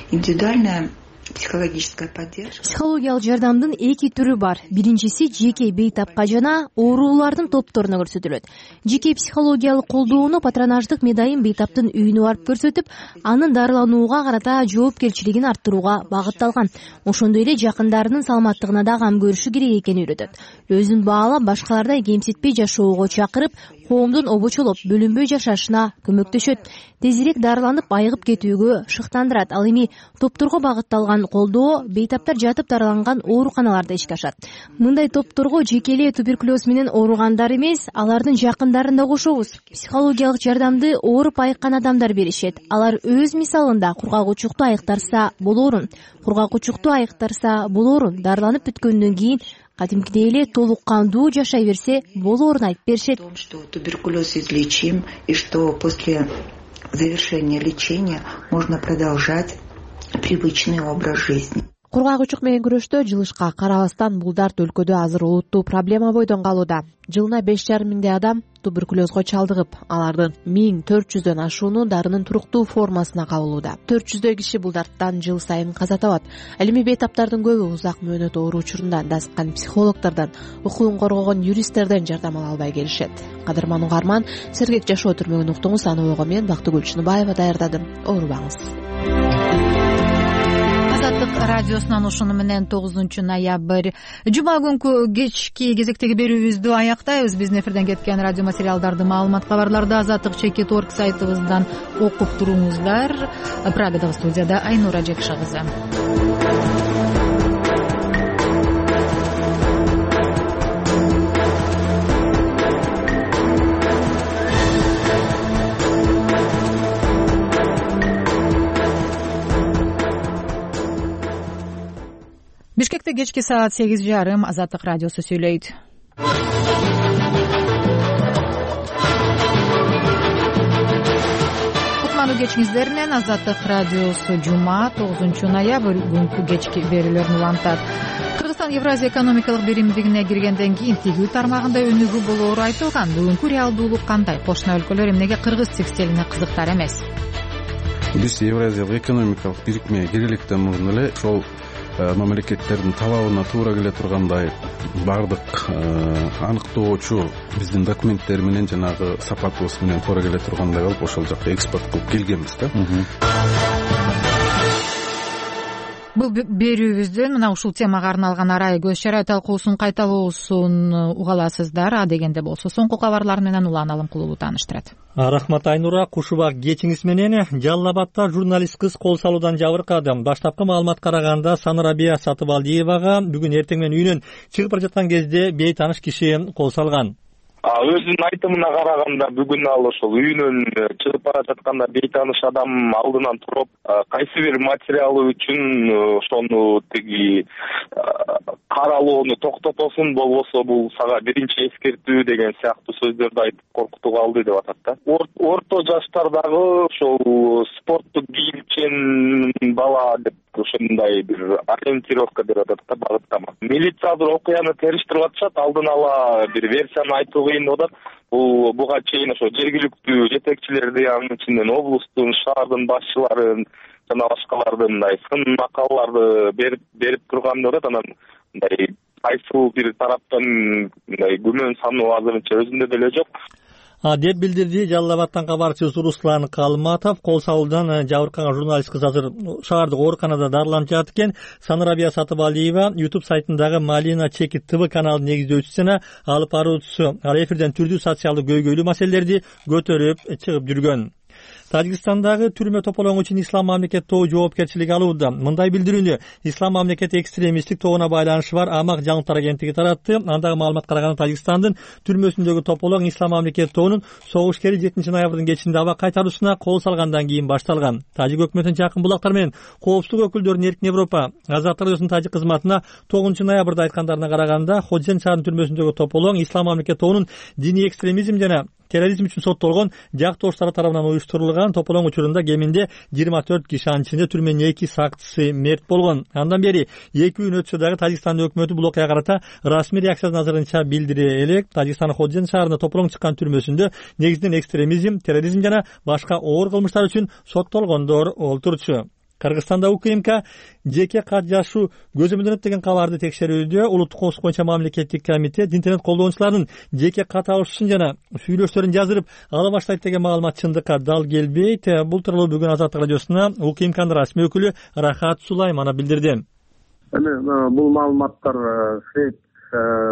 Q: Индивидуальная психологическая поддержка.
R: Психологиялык жардамдын эки түрү бар. Биринчиси жеке бейтапка жана оорулардын топторуна көрсөтүлөт. Жеке психологиялык колдоону патронаждык медайым бейтаптын үйүнө барып көрсөтүп, анын дарыланууга карата жоопкерчилигин арттырууга багытталган. Ошондой эле жакындарынын саламаттыгына да кам көрүшү керек экенин үйрөтөт. Өзүн баалап, башкалардай кемситпей жашоого чакырып, коомдун обочолоп, бөлүнбөй жашашына көмөктөшөт. Тезирээк дарыланып, айыгып кетүүгө шыктандырат. Ал эми топторго багытталган колдоо бейтаптар жатып дарыланган ооруканаларда ишке ашат. Мындай топторго жеке эле туберкулез менен ооругандар эмес, алардын жакындарын да кошобуз. Психологиялык жардамды ооруп айыккан адамдар беришет. Алар өз мисалында кургагучукту айыктарса болоорун, кургагучукту айыктарса болоорун, дарыланып бүткөндөн кийин кадимкидей эле толук кандуу жашай берсе болоорун айтып беришет.
Q: Что туберкулез излечим и что после завершения лечения можно продолжать привычный образ жизни.
O: кургак учук менен күрөштө жылышка карабастан бул дарт өлкөдө азыр олуттуу проблема бойдон калууда. Жылына беш жарым миңдей адам туберкулезго чалдыгып, алардын миң төрт жүздөн ашууну дарынын туруктуу формасына кабылууда. төрт жүздөй киши бул дарттан жыл сайын каза табат. Ал эми бейтаптардын көбү узак мөөнөт оору учурунда дасыткан психологдордон, укугун коргогон юристтерден жардам ала албай келишет. Кадырман угарман, сергек жашоо түрмөгүн уктуңуз. Аны ого мен Бактыгүл Чыныбаева даярдадым. Оорубаңыз.
A: Азаттык радиосунан ушуну менен тогузунчу ноябрь жума күнкү кечки кезектеги берүүбүздү аяктайбыз. Биздин эфирден кеткен радио материалдарды, маалымат, кабарларды азаттык чекит орг сайтыбыздан окуп туруңуздар. Прагадагы студияда Айнура Жекша кызы. Бишкекте кечки саат сегиз жарым. Азаттык радиосу сүйлөйт. Кутмандуу кечиңиздер менен Азаттык радиосу жума тогузунчу ноябрь күнкү кечки берүүлөрүн улантат. Кыргызстан Евразия экономикалык биримдигине киргенден кийин тигүү тармагында өнүгүү болоору айтылган. Бүгүнкү реалдуулук кандай? Кошуна өлкөлөр эмнеге кыргыз текстилине кызыктар эмес?
S: Биз Евразиялык экономикалык бирикмеге кириликтен мурун эле ошол мамлекеттердин талабына туура келе тургандай баардык аныктоочу биздин документтер менен жанагы сапатыбыз менен туура келе тургандай болуп ошол жакка экспорт кылып келгенбиз да.
A: Бул берүүбүздүн мына ушул темага арналган арай көз чарай талкуусун кайталоосун уга аласыздар. А дегенде болсо соңку кабарлар менен Улан Алымкулуу тааныштырат.
D: Рахмат Айнура, кушубак кечиңиз менен. Жалал Абадта журналист кыз кол салуудан жабыркады. Баштапкы маалымат караганда Санарабия Сатыбалдиевага бүгүн эртең менен үйүнөн чыгып бара жаткан кезде бейтаныш киши кол салган.
T: Өзүнүн айтымына караганда бүгүн ал ошол үйүнөн чыгып бара жатканда бейтаныш адам алдынан туруп кайсы бир материалы үчүн ошону тиги каралоону токтотосун, болбосо бул сага биринчи эскертүү деген сыяктуу сөздөрдү айтып коркутууга алды деп атат да. Орто жаштардагы ошол спорттук кийимчен бала деп ошондой бир ориентировка берип атат да, багыттама. Милиция азыр окуяны териштирип атышат, алдын ала бир версияны айтуу кыйын деп атат. Бул буга чейин ошо жергиликтүү жетекчилерди, анын ичинен облустун, шаардын башчыларын жана башкаларды мындай сын макалаларды берип берип турган деп атат. Анан мындай кайсыл бир тараптан мындай күмөн саноо азырынча өзүндө деле жок
D: деп билдирди Жалал Абадтан кабарчыбыз Руслан Калматов. Кол салуудан жабыркаган журналист кыз азыр шаардык ооруканада дарыланып жатат экен. Санарабия Сатыбалиева YouTube сайтындагы Малина Чекит ТВ каналынын негиздөөчүсү жана алып баруучусу. Ал эфирден түрдүү социалдык көйгөйлүү маселелерди көтөрүп чыгып жүргөн. Тажикстандагы түрмө тополоңу үчүн Ислам мамлекет тобу жоопкерчилик алууда. Мындай билдирүүнү Ислам мамлекет экстремисттик тобуна байланышы бар Амак жаңылыктар агенттиги таратты. Андагы маалымат караганда Тажикстандын түрмөсүндөгү тополоң Ислам мамлекет тобунун согушкери жетинчи ноябрдын кечинде аба кайтаруусуна кол салгандан кийин башталган. Тажик өкмөтүнүн жакын булактар менен коопсуздук өкүлдөрүнүн Эркин Европа Азаттык радиосунун тажик кызматына тогузунчу ноябрда айткандарына караганда Ходжен шаарынын түрмөсүндөгү тополоң Ислам мамлекет тобунун диний экстремизм жана терроризм үчүн соттолгон жактоштары тарабынан уюштурулган. Тополоң учурунда кеминде жыйырма төрт киши, анын ичинде түрмөнүн эки сакчысы мерт болгон. Андан бери эки күн өтсө дагы Тажикстандын өкмөтү бул окуяга карата расмий реакциясын азырынча билдире элек. Тажикстандын Ходжен шаарында тополоң чыккан түрмөсүндө негизинен экстремизм, терроризм жана башка оор кылмыштар үчүн соттолгондор олтурчу. Кыргызстанда УКМК жеке кат жазуу көзөмөлдөнөт деген кабарды текшерүүдө. Улуттук коопсуздук боюнча мамлекеттик комитет интернет колдонуучулардын жеке кат алышын жана сүйлөштөрүн жаздырып ала баштайт деген маалымат чындыкка дал келбейт. Бул тууралуу бүгүн Азаттык радиосуна УКМКнын расмий өкүлү Рахат Сулайманов билдирди.
E: Эми бул маалыматтар фейк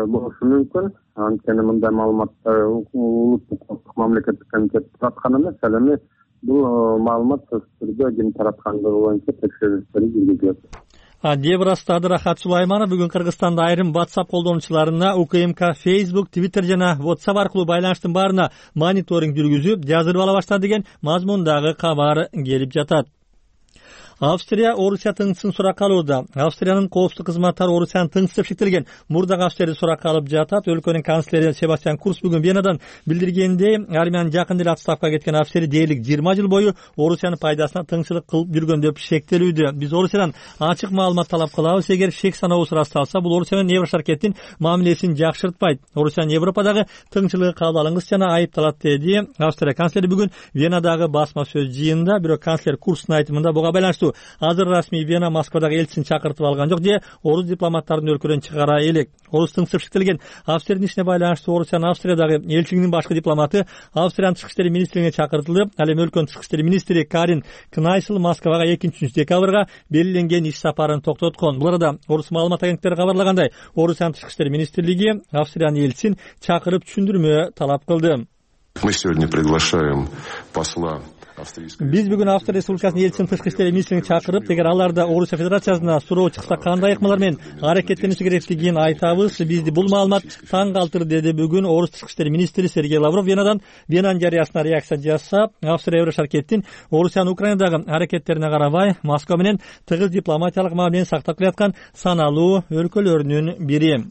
E: болушу мүмкүн. Анткени мындай маалыматтар улуттук коопсуздук мамлекеттик комитет тараткан эмес. Ал эми бул маалымат түрдө ким тараткандыгы боюнча текшерүүлөр жүргүзүлөт
D: деп ырастады Рахат Сулайманов. Бүгүн Кыргызстанда айрым WhatsApp колдонуучуларына УКМК Facebook, Twitter жана WhatsApp аркылуу байланыштын баарына мониторинг жүргүзүп, жаздырып ала баштады деген мазмундагы кабар келип жатат. Австрия Орусия тыңчысын суракка алууда. Австриянын коопсуздук кызматтары Орусиянын тыңчысы шектелген мурдагы Австрияды суракка алып жатат. Өлкөнүн канцлери Себастьян Курц бүгүн Венадан билдиргендей, Армиянын жакында эле отставкага кеткен Австрия дээрлик жыйырма жыл бою Орусиянын пайдасына тыңчылык кылып жүргөн деп шектелүүдө. Биз Орусиядан ачык маалымат талап кылабыз. Эгер шек санообуз ырасталса, бул Орусия менен Евро шаркеттин мамилесин жакшыртпайт. Орусиянын Европадагы тыңчылыгы кабыл алынгыс жана айыпталат, деди Австрия канцлери бүгүн Венадагы басма сөз жыйынында. Бирок канцлер Курцтун айтымында буга байланыштуу азыр расмий Вена Москвадагы элчисин чакыртып алган жок же орус дипломаттарын өлкөдөн чыгара элек. Орус тыңчысы шектелген Австриянын ишине байланыштуу Орусиянын Австриядагы элчилигинин башкы дипломаты Австриянын тышкы иштер министрлигине чакыртылып, ал эми өлкөнүн тышкы иштер министри Карин Кнайсл Москвага экинчи декабрга белгиленген иш сапарын токтоткон. Бул арада орус маалымат агенттиктери кабарлагандай, Орусиянын тышкы иштер министрлиги Австриянын элчисин чакырып түшүндүрмө талап кылды.
U: Мы сегодня приглашаем посла.
D: Биз бүгүн Австрия Республикасынын элчисин тышкы иштер министрлигине чакырып, эгер аларда Орусия Федерациясына суроо чыкса кандай ыкмалар менен аракеттениши керектигин айтабыз. Бизди бул маалымат таң калтырды, деди бүгүн орус тышкы иштер министри Сергей Лавров Венадан. Венанын жарыясына реакция жасап, Австрия Евро шаркеттин Орусиянын Украинадагы аракеттерине карабай, Москва менен тыгыз дипломатиялык мамилени сактап келаткан саналуу өлкөлөрүнүн бири.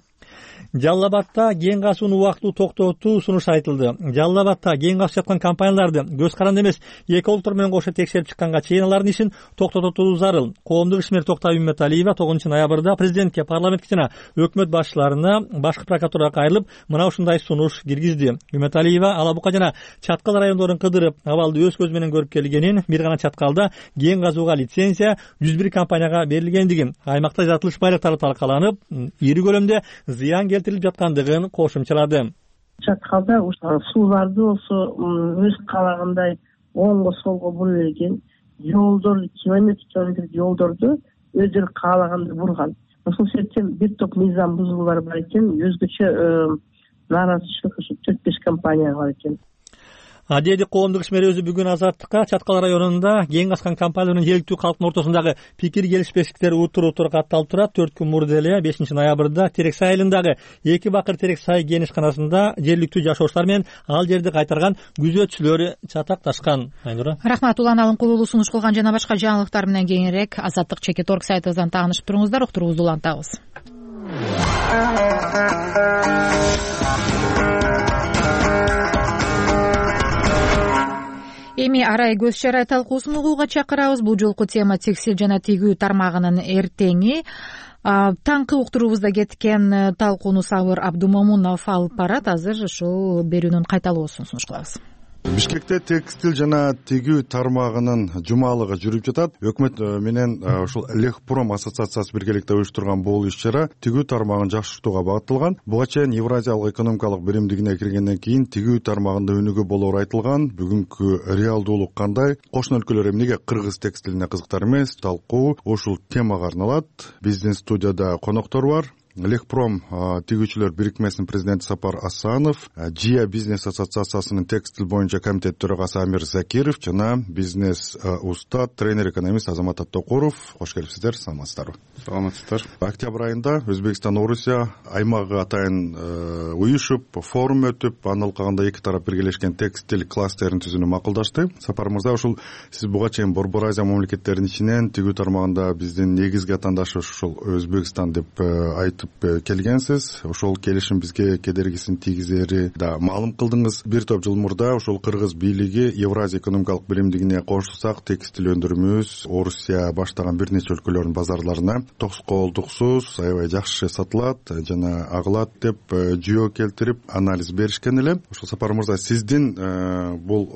D: Жалал-Абадта кен казуунун убактылуу токтотуу сунушу айтылды. Жалал-Абадта кен казып жаткан компанияларды көз каранды эмес эки олтур менен кошо текшерип чыкканга чейин алардын ишин токтотуу зарыл. Коомдук ишмер Токтогул Үмөталиева тогузунчу ноябрда президентке, парламентке жана өкмөт башчыларына башкы прокуратурага кайрылып, мына ушундай сунуш киргизди. Үмөталиева Алабука жана Чаткал райондорун кыдырып, абалды өз көзү менен көрүп келгенин, бир гана Чаткалда кен казууга лицензия жүз бир компанияга берилгендигин, аймакта жатылыш байлыктары талкаланып, ири көлөмдө зыян келтирилип жаткандыгын кошумчалады.
G: Чаткалда сууларды болсо өз каалагандай оңго солго бура берген, жолдор километр километр жолдорду өздөрү каалагандай бурган. Ошол себептен бир топ мыйзам бузуулар бар экен, өзгөчө нааразычылык ушу төрт беш компанияга бар экен.
D: Адеди коомдук ишмер өзү бүгүн Азаттыкка Чаткал районунда кен казкан компания менен жергиликтүү калктын ортосундагы пикир келишпештиктер утур-утур катталып турат. төрт күн мурда эле бешинчи ноябрда Терексай айылындагы эки бакыр Терексай кен ишканасында жергиликтүү жашоочулар менен ал жерди кайтарган күзөтчүлөр чатакташкан. Айнура.
A: Рахмат. Улан Алынкулуулу сунуш кылган жана башка жаңылыктар менен кеңирээк Азаттык чекит точка орг сайтыбыздан таанышып туруңуздар. Уктуруубузду улантабыз. Эми арай көз чарай талкуусун угууга чакырабыз. Бул жолку тема текстиль жана тигүү тармагынын эртеңи. Таңкы уктуруубузда кеткен талкууну Сабыр Абдумомунов алып барат. Азыр ушул берүүнүн кайталоосун сунуш кылабыз.
V: Бишкекте текстиль жана тигүү тармагынын жумалыгы жүрүп жатат. Өкмөт менен ушул Лехпром ассоциациясы биргеликте уюштурган бул иш-чара тигүү тармагын жакшыртууга багытталган. Буга чейин Евразиялык экономикалык биримдигине киргенден кийин тигүү тармагында өнүгүү болоору айтылган. Бүгүнкү реалдуулук кандай? Кошуна өлкөлөр эмнеге кыргыз текстилине кызыктар эмес? Талкуу ушул темага арналат. Биздин студияда коноктор бар. Лехпром тигүүчүлөр бирикмесинин президенти Сапар Асанов, Жия бизнес ассоциациясынын текстиль боюнча комитет төрагасы Амир Закиров жана бизнес устат, тренер, экономист Азамат Аттокуров. Кош келипсиздер, саламатсыздарбы?
S: Саламатсыздар.
V: Октябрь айында Өзбекстан Орусия аймагы атайын уюшуп, форум өтүп, анын алкагында эки тарап биргелешкен текстиль кластерин түзүүнү макулдашты. Сапар мырза, ушул сиз буга чейин Борбор Азия мамлекеттеринин ичинен тигүү тармагында биздин негизги атаандашы ушул Өзбекстан деп айтып келгенсиз. Ошол келишим бизге кедергисин тийгизери да маалым кылдыңыз. Бир топ жыл мурда ошол кыргыз бийлиги Евразия экономикалык биримдигине кошулсак, текстиль өндүрүүбүз Орусия баштаган бир нече өлкөлөрдүн базарларына тоскоолдуксуз аябай жакшы сатылат жана агылат деп жүйө келтирип анализ беришкен эле. Ошол Сапар мырза, сиздин бул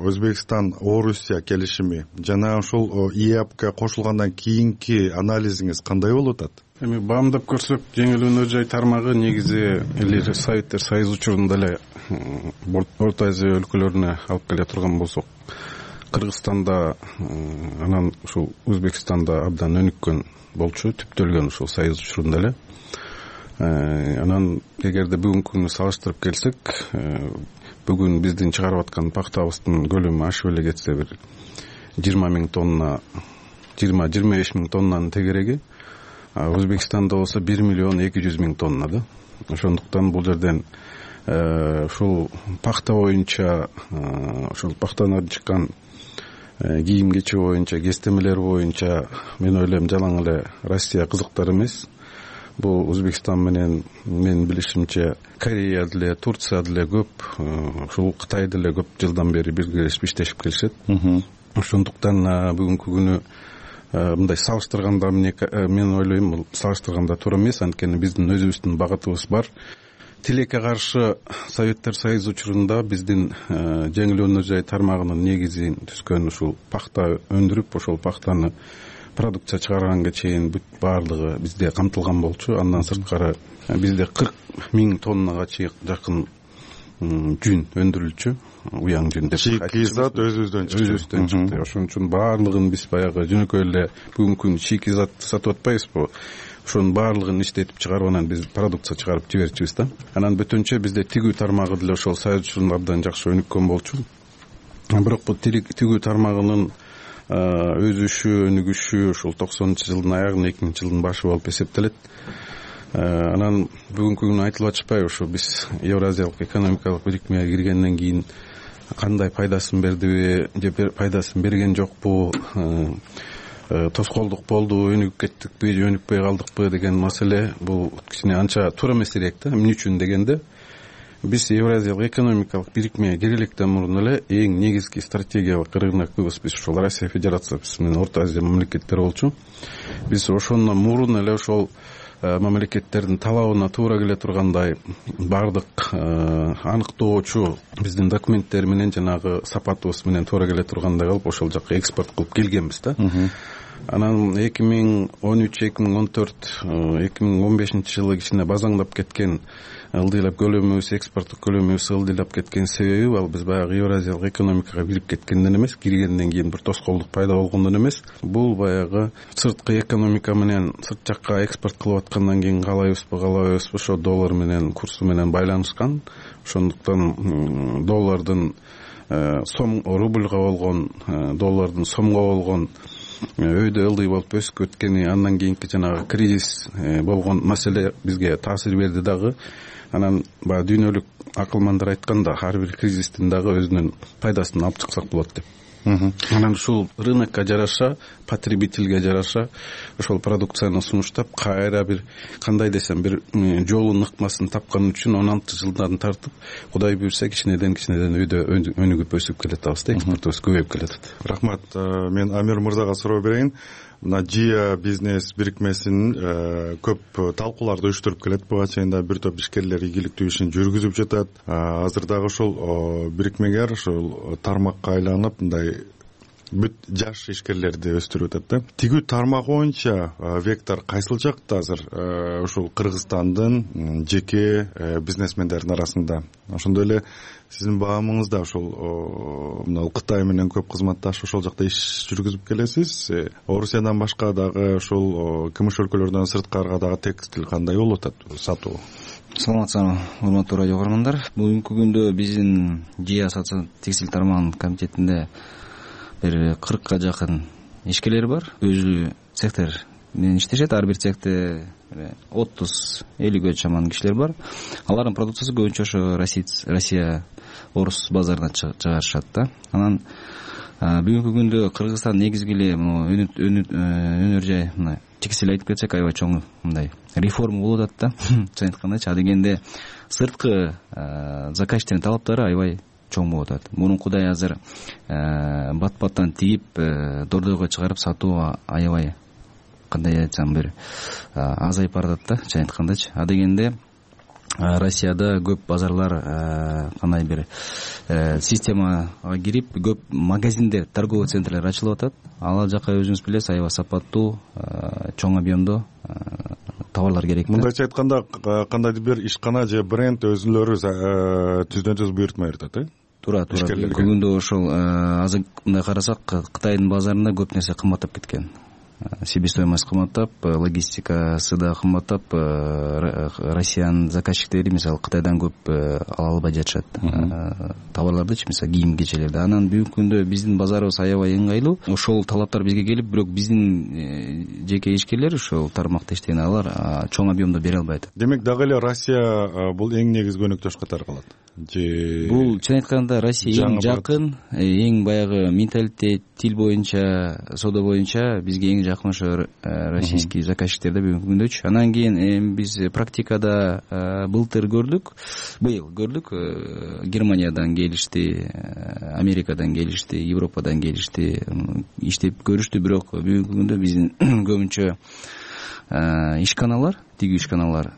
V: Өзбекстан Орусия келишими жана ошол ИЭАПка кошулгандан кийинки анализиңиз кандай болуп атат?
S: Эми баамдап көрсөк, жеңил өнөр жай тармагы негизи эле Советтер Союзу учурунда эле Орто Азия өлкөлөрүнө алып келе турган болсок, Кыргызстанда анан ушул Өзбекстанда абдан өнүккөн болчу, түптөлгөн ушул Союз учурунда эле. Анан эгерде бүгүнкү күнү салыштырып келсек, бүгүн биздин чыгарып аткан пактабыздын көлөмү ашып эле кетсе бир жыйырма миң тонна, жыйырма жыйырма беш миң тоннанын тегереги, Өзбекстанда болсо бир миллион эки жүз миң тонна да. Ошондуктан бул жерден ушул пахта боюнча ушул пахтадан чыккан кийим кече боюнча, кестемелер боюнча мен ойлойм жалаң эле Россия кызыктар эмес. Бул Өзбекстан менен менин билишимче Корея деле, Турция деле көп, ушул Кытай деле көп жылдан бери биргелешип иштешип келишет. Ошондуктан бүгүнкү күнү мындай салыштырганда мен ойлойм бул салыштырганда туура эмес, анткени биздин өзүбүздүн багытыбыз бар. Тилекке каршы Советтер Союзу учурунда биздин жеңил өнөр жай тармагынын негизин түзгөн ушул пахта өндүрүп, ошол пахтаны продукция чыгарганга чейин бүт баардыгы бизде камтылган болчу. Андан сырткары бизде кырк миң тоннага жакын жүн өндүрүлчү, уяң жүн деп.
V: Шикизат өзүбүздөн чыкты.
S: Өзүбүздөн чыкты. Ошон үчүн баардыгын биз баягы жөнөкөй эле бүгүнкү күндө шикизат сатып атпайбызбы? Ошонун баардыгын иштетип чыгарып анан биз продукция чыгарып жиберчүбүз да. Анан бөтөнчө бизде тигүү тармагы деле ошол Союз учурундардан жакшы өнүккөн болчу. Бирок бул тигүү тармагынын өзүшү, өнүгүшү ушул токсонунчу жылдын аягы, эки миңинчи жылдын башы болуп эсептелет. Анан бүгүнкү күнү айтылып атышпайбы, ушу биз Евразиялык экономикалык бирикмеге киргенден кийин кандай пайдасын бердиби, же пайдасын берген жокпу, тоскоолдук болду, өнүгүп кеттикпи же өнүкпөй калдыкпы деген маселе бул кичине анча туура эмес элек да. Эмне үчүн дегенде биз Евразиялык экономикалык бирикмеге киреликтен мурун эле эң негизги стратегиялык рынокубуз биз ушул Россия Федерациясы менен Орто Азия мамлекеттери болчу. Биз ошондон мурун эле ошол мамлекеттердин талабына туура келе тургандай баардык аныктоочу биздин документтер менен жанагы сапатыбыз менен туура келе тургандай кылып ошол жакка экспорт кылып келгенбиз да. Анан эки миң он үч эки миң он төрт эки миң он бешинчи жылы кичине базаңдап кеткен ылдыйлап көлөмүбүз, экспорттук көлөмүбүз ылдыйлап кеткен себеби ал биз баягы Евразиялык экономикага кирип кеткенден эмес, киргенден кийин бир тоскоолдук пайда болгондон эмес, бул баягы сырткы экономика менен сырт жакка экспорт кылып аткандан кийин каалайбызбы, каалабайбызбы ошо доллар менен курсу менен байланышкан. Ошондуктан доллардын сом рубльга болгон, доллардын сомго болгон өйдө ылдый болуп өсүп өткени, андан кийинки жанагы кризис болгон маселе бизге таасир берди дагы. Анан баягы дүйнөлүк акылмандар айтканда, ар бир кризистин дагы өзүнүн пайдасын алып чыксак болот деп. Анан ушул рынокко жараша, потребительге жараша ошол продукцияны сунуштап, кайра бир кандай десем бир жолун ыкмасын тапкан үчүн он алты жылдан тартып, Кудай буйрса кичинеден кичинеден өйдө өнүгүп өсүп келатабыз да, экспортубуз көбөйүп келатат.
V: Рахмат. Мен Амир мырзага суроо берейин. Мына Жия бизнес бирикмесин көп талкууларды уюштуруп келет. Буга чейин да бир топ ишкерлер ийгиликтүү ишин жүргүзүп жатат. Азыр дагы ошол бирикмегер ошол тармакка айланып мындай бүт жаш ишкерлерди өстүрүп атат да. Тигүү тармак боюнча вектор кайсыл жакта азыр ушул Кыргызстандын жеке бизнесмендердин арасында? Ошондой эле сиздин баамыңыз да ошол мына Кытай менен көп кызматташып ошол жакта иш жүргүзүп келесиз. Орусиядан башка дагы ошол КМШ өлкөлөрүнөн сырткарыга дагы текстиль кандай болуп атат сатуу?
F: Саламатсызбы, урматтуу радио көрөрмандар. Бүгүнкү күндө биздин Жия текстиль тармагынын комитетинде бир кыркка жакын ишкерлер бар. Өзү цехтер менен иштешет. Ар бир цехте отуз элүүгө чаман кишилер бар. Алардын продукциясы көбүнчө ошо Россия, орус базарына чыгарышат да. Анан бүгүнкү күндө Кыргызстан негизги эле өнөр жай мына текстиль айтып кетсек аябай чоң мындай реформа болуп атат да. Чын айткандачы, адегенде сырткы заказчиктердин талаптары аябай чоң болуп атат. Мурункудай азыр бат-баттан тигип дордойго чыгарып сатуу аябай кандай айтсам бир азайып баратат да, чын айткандачы. Адегенде Россияда көп базарлар кандай бир системага кирип, көп магазиндер, торговый центрлер ачылып атат. Ал жака өзүңүз билесиз, аябай сапаттуу, чоң объемдо товарлар керек.
V: Мындайча айтканда, кандайдыр бир ишкана же бренд өзүлөрү түздөн түз буйртма берет да?
F: Туура, туура. Бүгүнкү күндө ошол азыр мындай карасак, Кытайдын базарында көп нерсе кымбаттап кеткен. Себестоимость кымбаттап, логистикасы да кымбаттап, Россиянын заказчиктери мисалы Кытайдан көп ала албай жатышат товарлардычы, мисалы кийим кечелерди. Анан бүгүнкү күндө биздин базарыбыз аябай ыңгайлуу. Ошол талаптар бизге келип, бирок биздин жеке ишкерлер ошол тармакта иштеген алар чоң объемдо бере албайт.
V: Демек дагы эле Россия бул эң негизги өнөктөш катары калат. же
F: бул чын айтканда Россия эң жакын, эң баягы менталитет, тил боюнча, соода боюнча бизге эң жакын ошо российский заказчиктер да бүгүнкү күндөчү. Анан кийин эми биз практикада былтыр көрдүк, быйыл көрдүк, Германиядан келишти, Америкадан келишти, Европадан келишти, иштеп көрүштү. Бирок бүгүнкү күндө биздин көбүнчө ишканалар, тигүү ишканалар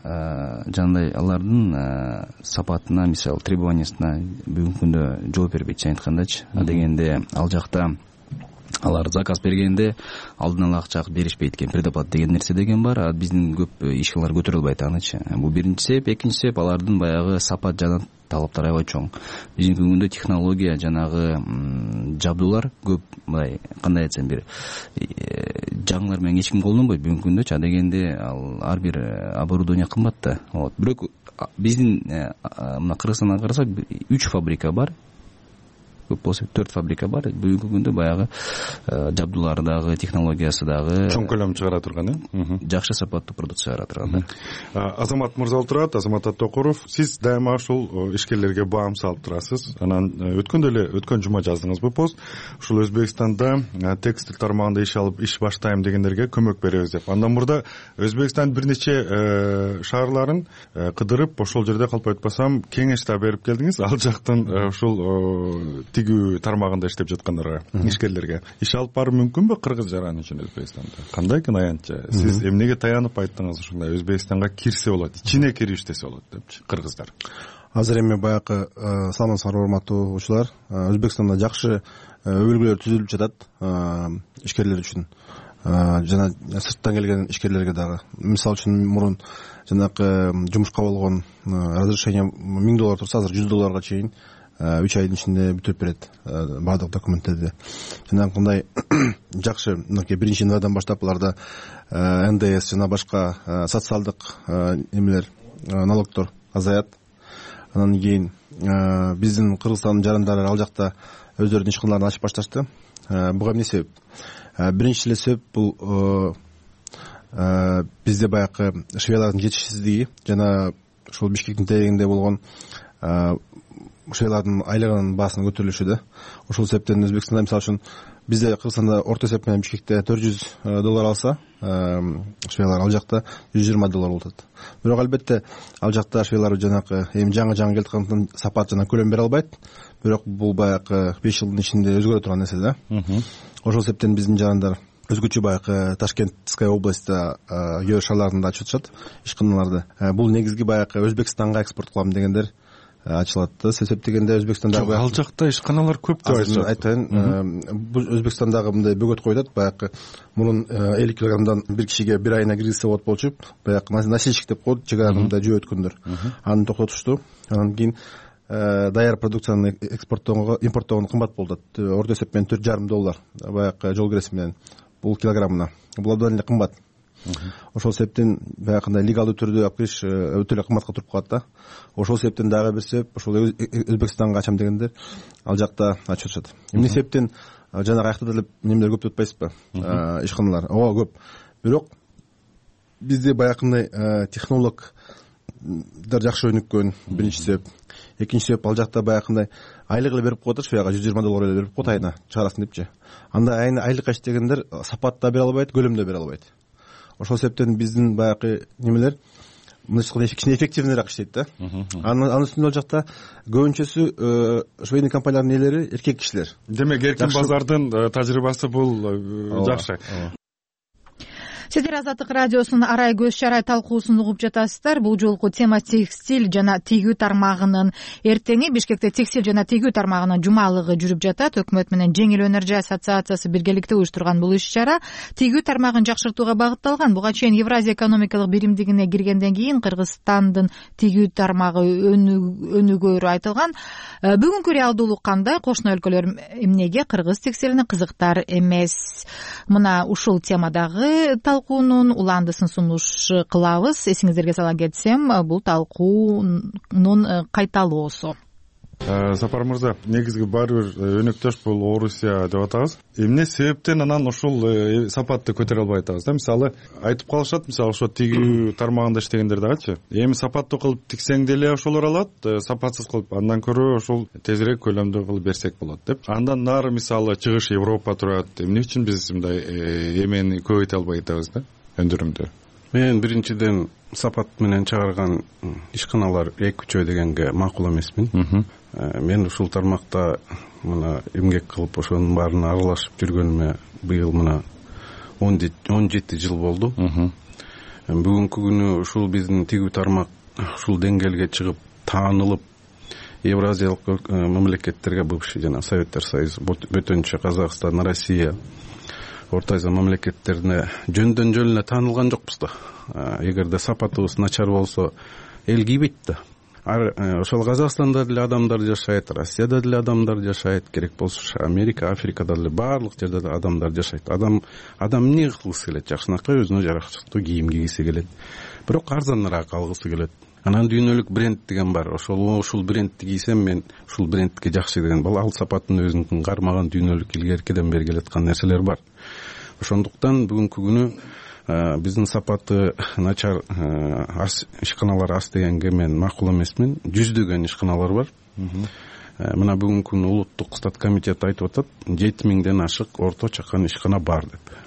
F: жандай алардын сапатына, мисалы требованиясына бүгүнкү күндө жооп бербейт, чын айткандачы. А дегенде ал жакта алар заказ бергенде алдын ала акча беришпейт экен, предоплата деген нерсе деген бар. А биздин көп ишканалар көтөрө албайт анычы. Бул биринчи себеп. Экинчи себеп, алардын баягы сапат жана талаптары аябай чоң. Биздин күндө технология, жанагы жабдуулар көп, мындай кандай айтсам, бир жаңылар менен эч ким колдонбойт бүгүнкү күндөчү. А дегенде ал ар бир оборудование кымбат да. Вот. Бирок биздин мына Кыргызстандан карасак үч фабрика бар. Көп болсо төрт фабрика бар. Бүгүнкү күндө баягы жабдуулары дагы, технологиясы дагы
V: чоң көлөм чыгара турган, э?
F: Жакшы сапаттуу продукция чыгара турган.
V: Азамат мырза отурат, Азамат Аттокуров. Сиз дайыма ушул ишкерлерге баам салып турасыз. Анан өткөндө эле өткөн жума жаздыңызбы пост. Ушул Өзбекстанда текстиль тармагында иш алып, иш баштайм дегендерге көмөк беребиз деп. Андан мурда Өзбекстан бир нече шаарларын кыдырып, ошол жерде калп айтпасам кеңеш да берип келдиңиз. Ал жактан ушул тигүү тармагында иштеп жаткандарга, ишкерлерге иш алып баруу мүмкүнбү Кыргыз жараны үчүн Өзбекстанда? Кандай экен аянтча? Сиз эмнеге таянып айттыңыз ушундай Өзбекстанга кирсе болот, ичине кирип иштесе болот депчи кыргыздар?
B: Азыр эми баягы саламатсыздарбы урматтуу угуучулар. Өзбекстанда жакшы өбөлгөлөр түзүлүп жатат ишкерлер үчүн жана сырттан келген ишкерлерге дагы. Мисалы үчүн мурун жанагы жумушка болгон разрешение миң доллар турса, азыр жүз долларга чейин үч айдын ичинде бүтүрүп берет баардык документтерди. Жанагындай жакшы, мынакей биринчи январдан баштап аларда эн дэ эс жана башка социалдык эмелер, налогдор азаят. Анан кийин биздин Кыргызстандын жарандары ал жакта өздөрүнүн ишканаларын ачып башташты. Буга эмне себеп? Биринчи эле себеп бул бизде баягы швеялардын жетишсиздиги жана ушул Бишкектин тегинде болгон швеялардын айлыгынын баасынын көтөрүлүшү да. Ошол себептен Өзбекстанда мисалы үчүн бизде Кыргызстанда орто эсеп менен Бишкекте төрт жүз доллар алса, швеялар ал жакта жүз жыйырма доллар болот. Бирок албетте ал жакта швеялар жанагы эми жаңы жаңы келаткандыктан сапат жана көлөм бере албайт. Бирок бул баягы беш жылдын ичинде өзгөрө турган нерсе да. Ошол себептен биздин жарандар өзгөчө баягы Ташкентская областта Йор шаарларында ачып атышат ишканаларды. Бул негизги баягы Өзбекстанга экспорт кылам дегендер ачылат да. Себеп дегенде Өзбекстандагы
V: ал жакта ишканалар көп деп айтышат.
B: Айтайын, бул Өзбекстандагы мындай бөгөт коюлат, баягы мурун элүү килограммдан бир кишиге бир айына киргизсе болот болчу, баягы носильщик деп коет, чек арада жөө өткөндөр. Аны токтотушту. Анан кийин даяр продукцияны экспорттоого, импорттоого кымбат болду. Орто эсеп менен төрт жарым доллар баягы жол киреси менен бул килограммына. Бул абдан эле кымбат. Ошол себептен баягындай легалдуу түрдө алып кириш өтө эле кымбатка туруп калат да. Ошол себептен дагы бир себеп ошол Өзбекстанга ачам дегендер ал жакта ачып атышат. Эмне себептен жанагы аякта деле немелер көп деп атпайсызбы? Ишканалар ооба көп. Бирок бизде баягындай технологдор жакшы өнүккөн биринчи себеп. Экинчи себеп, ал жакта баягындай айлык эле берип коет, швеяга жүз жыйырма доллар эле берип коет айына чыгарасын депчи. Анда айына айлыкка иштегендер сапат да бере албайт, көлөм да бере албайт. Ошол себептен биздин баягы немелер мындайча кичине эффективныйраак иштейт да. Анын үстүнө ал жакта көбүнчөсү швейный компаниялардын ээлери эркек кишилер.
V: Демек эркин базардын тажрыйбасы бул жакшы.
A: Сиздер Азаттык радиосунун арай көз чарай талкуусун угуп жатасыздар. Бул жолку тема текстиль жана тигүү тармагынын эртеңи. Бишкекте текстиль жана тигүү тармагынын жумалыгы жүрүп жатат. Өкмөт менен Жеңил өнөр жай ассоциациясы биргеликте уюштурган бул иш-чара тигүү тармагын жакшыртууга багытталган. Буга чейин Евразия экономикалык биримдигине киргенден кийин Кыргызстандын тигүү тармагы өнүгөрү айтылган. Бүгүнкү реалдуулук кандай? Кошуна өлкөлөр эмнеге кыргыз текстилине кызыктар эмес? Мына ушул темадагы талкуунун уландысын сунуш кылабыз. Эсиңиздерге сала кетсем, бул талкуунун кайталоосу.
V: Сапар мырза, негизги баары бир өнөктөш бул Орусия деп атабыз. Эмне себептен анан ушул сапатты көтөрө албай атабыз да? Мисалы айтып калышат, мисалы ошо тигүү тармагында иштегендер дагычы. Эми сапаттуу кылып тиксең деле ошолор алат, сапатсыз кылып андан көрө ошол тезирээк көлөмдүү кылып берсек болот деп. Андан нары мисалы чыгыш Европа турат. Эмне үчүн биз мындай эмени көбөйтө албай атабыз да? Өндүрүмдү.
S: Мен биринчиден сапат менен чыгарган ишканалар эки үчөө дегенге макул эмесмин. Мен ушул тармакта мына эмгек кылып ошонун баарына аралашып жүргөнүмө быйыл мына он жети жыл болду. Бүгүнкү күнү ушул биздин тигүү тармак ушул деңгээлге чыгып таанылып Евразиялык мамлекеттерге, бывший жана Советтер Союзу, бөтөнчө Казакстан, Россия, Орто Азия мамлекеттерине жөндөн жөн эле таанылган жокпуз да. Эгерде сапатыбыз начар болсо эл кийбейт да. Ошол Казакстанда деле адамдар жашайт, Россияда деле адамдар жашайт, керек болсо Америка, Африкада деле баардык жерде деле адамдар жашайт. Адам адам эмне кылгысы келет? Жакшынакай өзүнө жараштыктуу кийим кийгиси келет. Бирок арзаныраак алгысы келет. Анан дүйнөлүк бренд деген бар. Ошол ушул брендти кийсем мен ушул брендке жакшы деген. Бул ал сапаттын өзүнүн кармаган дүйнөлүк илгеркиден бери келаткан нерселер бар. Ошондуктан бүгүнкү күнү биздин сапаты начар ишканалар аз дегенге мен макул эмесмин. Жүздөгөн ишканалар бар. Мына бүгүнкү күнү улуттук стат комитет айтып атат, жети миңден ашык орто чакан ишкана бар деп.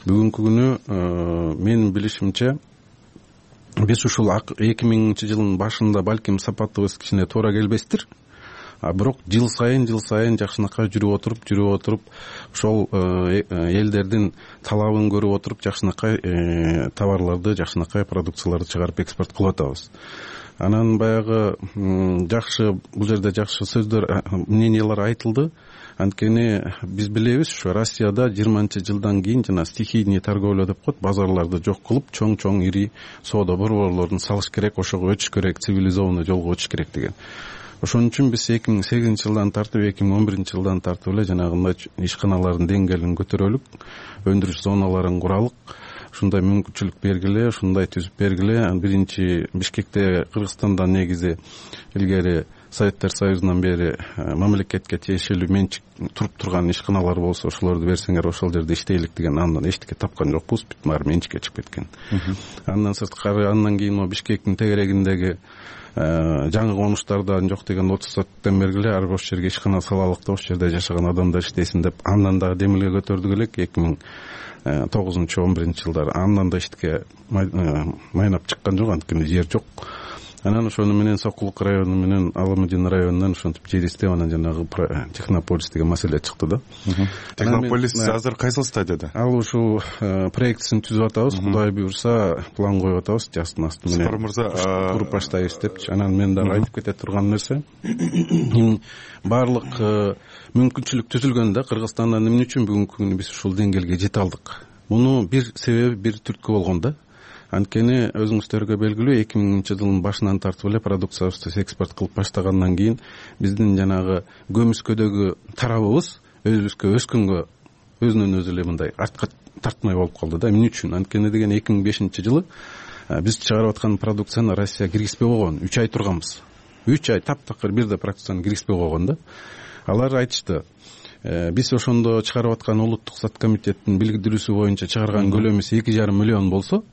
S: Бүгүнкү күнү менин билишимче биз ушул эки миңинчи жылдын башында балким сапатыбыз кичине туура келбестир. А бирок жыл сайын жыл сайын жакшынакай жүрүп отуруп жүрүп отуруп ошол элдердин талабын көрүп отуруп жакшынакай товарларды, жакшынакай продукцияларды чыгарып экспорт кылып атабыз. Анан баягы жакшы бул жерде жакшы сөздөр, мнениялар айтылды. Анткени биз билебиз, ушу Россияда жыйырманчы жылдан кийин жана стихийный торговля деп коет, базарларды жок кылып, чоң-чоң ири соода борборлорун салыш керек, ошого өтүш керек, цивилизованный жолго өтүш керек деген. Ошон үчүн биз эки миң сегизинчи жылдан тартып эки миң он биринчи жылдан тартып эле жанагындай ишканалардын деңгээлин көтөрөлүк, өндүрүш зоналарын куралык, ушундай мүмкүнчүлүк бергиле, ушундай түзүп бергиле. Биринчи Бишкекте, Кыргызстандан негизи илгери Советтер Союзунан бери мамлекетке тиешелүү менчик туруп турган ишканалар болсо, ошолорду берсеңер ошол жерде иштейлик деген андан эчтеке тапкан жокпуз, бүт баары менчикке чыгып кеткен. Андан сырткары андан кийин могу Бишкектин тегерегиндеги жаңы конуштардан жок деген отуз соттон бергиле ар бир ошол жерге ишкана салалык да, ошол жерде жашаган адамдар иштесин деп андан дагы демилге көтөрдүк элек эки миң тогузунчу он биринчи жылдары. Андан да эчтеке майнап чыккан жок, анткени жер жок. Анан ошону менен Сокулук району менен Аламудин районунан ошентип жер издеп, анан жанагы Технополис деген маселе чыкты да.
V: Технополис азыр кайсыл стадияда?
S: Ал ушул проектисин түзүп атабыз, Кудай буйрса план коюп атабыз, жастын асты менен.
V: Сапар мырза,
S: туруп баштайбыз депчи. Анан мен дагы айтып кете турган нерсе, баардык мүмкүнчүлүк түзүлгөн да. Кыргызстандан эмне үчүн бүгүнкү күнү биз ушул деңгээлге жете алдык? Муну бир себеби, бир түрткү болгон да. Анткени өзүңүздөргө белгилүү, эки миңинчи жылдын башынан тартып эле продукциябызды экспорт кылып баштагандан кийин биздин жанагы көмүскөдөгү тарабыбыз өзүбүзгө өскөнгө өзүнөн өзү эле мындай артка тартмай болуп калды да. Эмне үчүн? Анткени деген эки миң бешинчи жылы биз чыгарып аткан продукцияны Россия киргизбей койгон, үч ай турганбыз. үч ай таптакыр бирде продукцияны киргизбей койгон да. Алар айтышты, биз ошондо чыгарып аткан улуттук стат комитеттин билдирүүсү боюнча чыгарган көлөмүбүз эки жарым миллион болсо,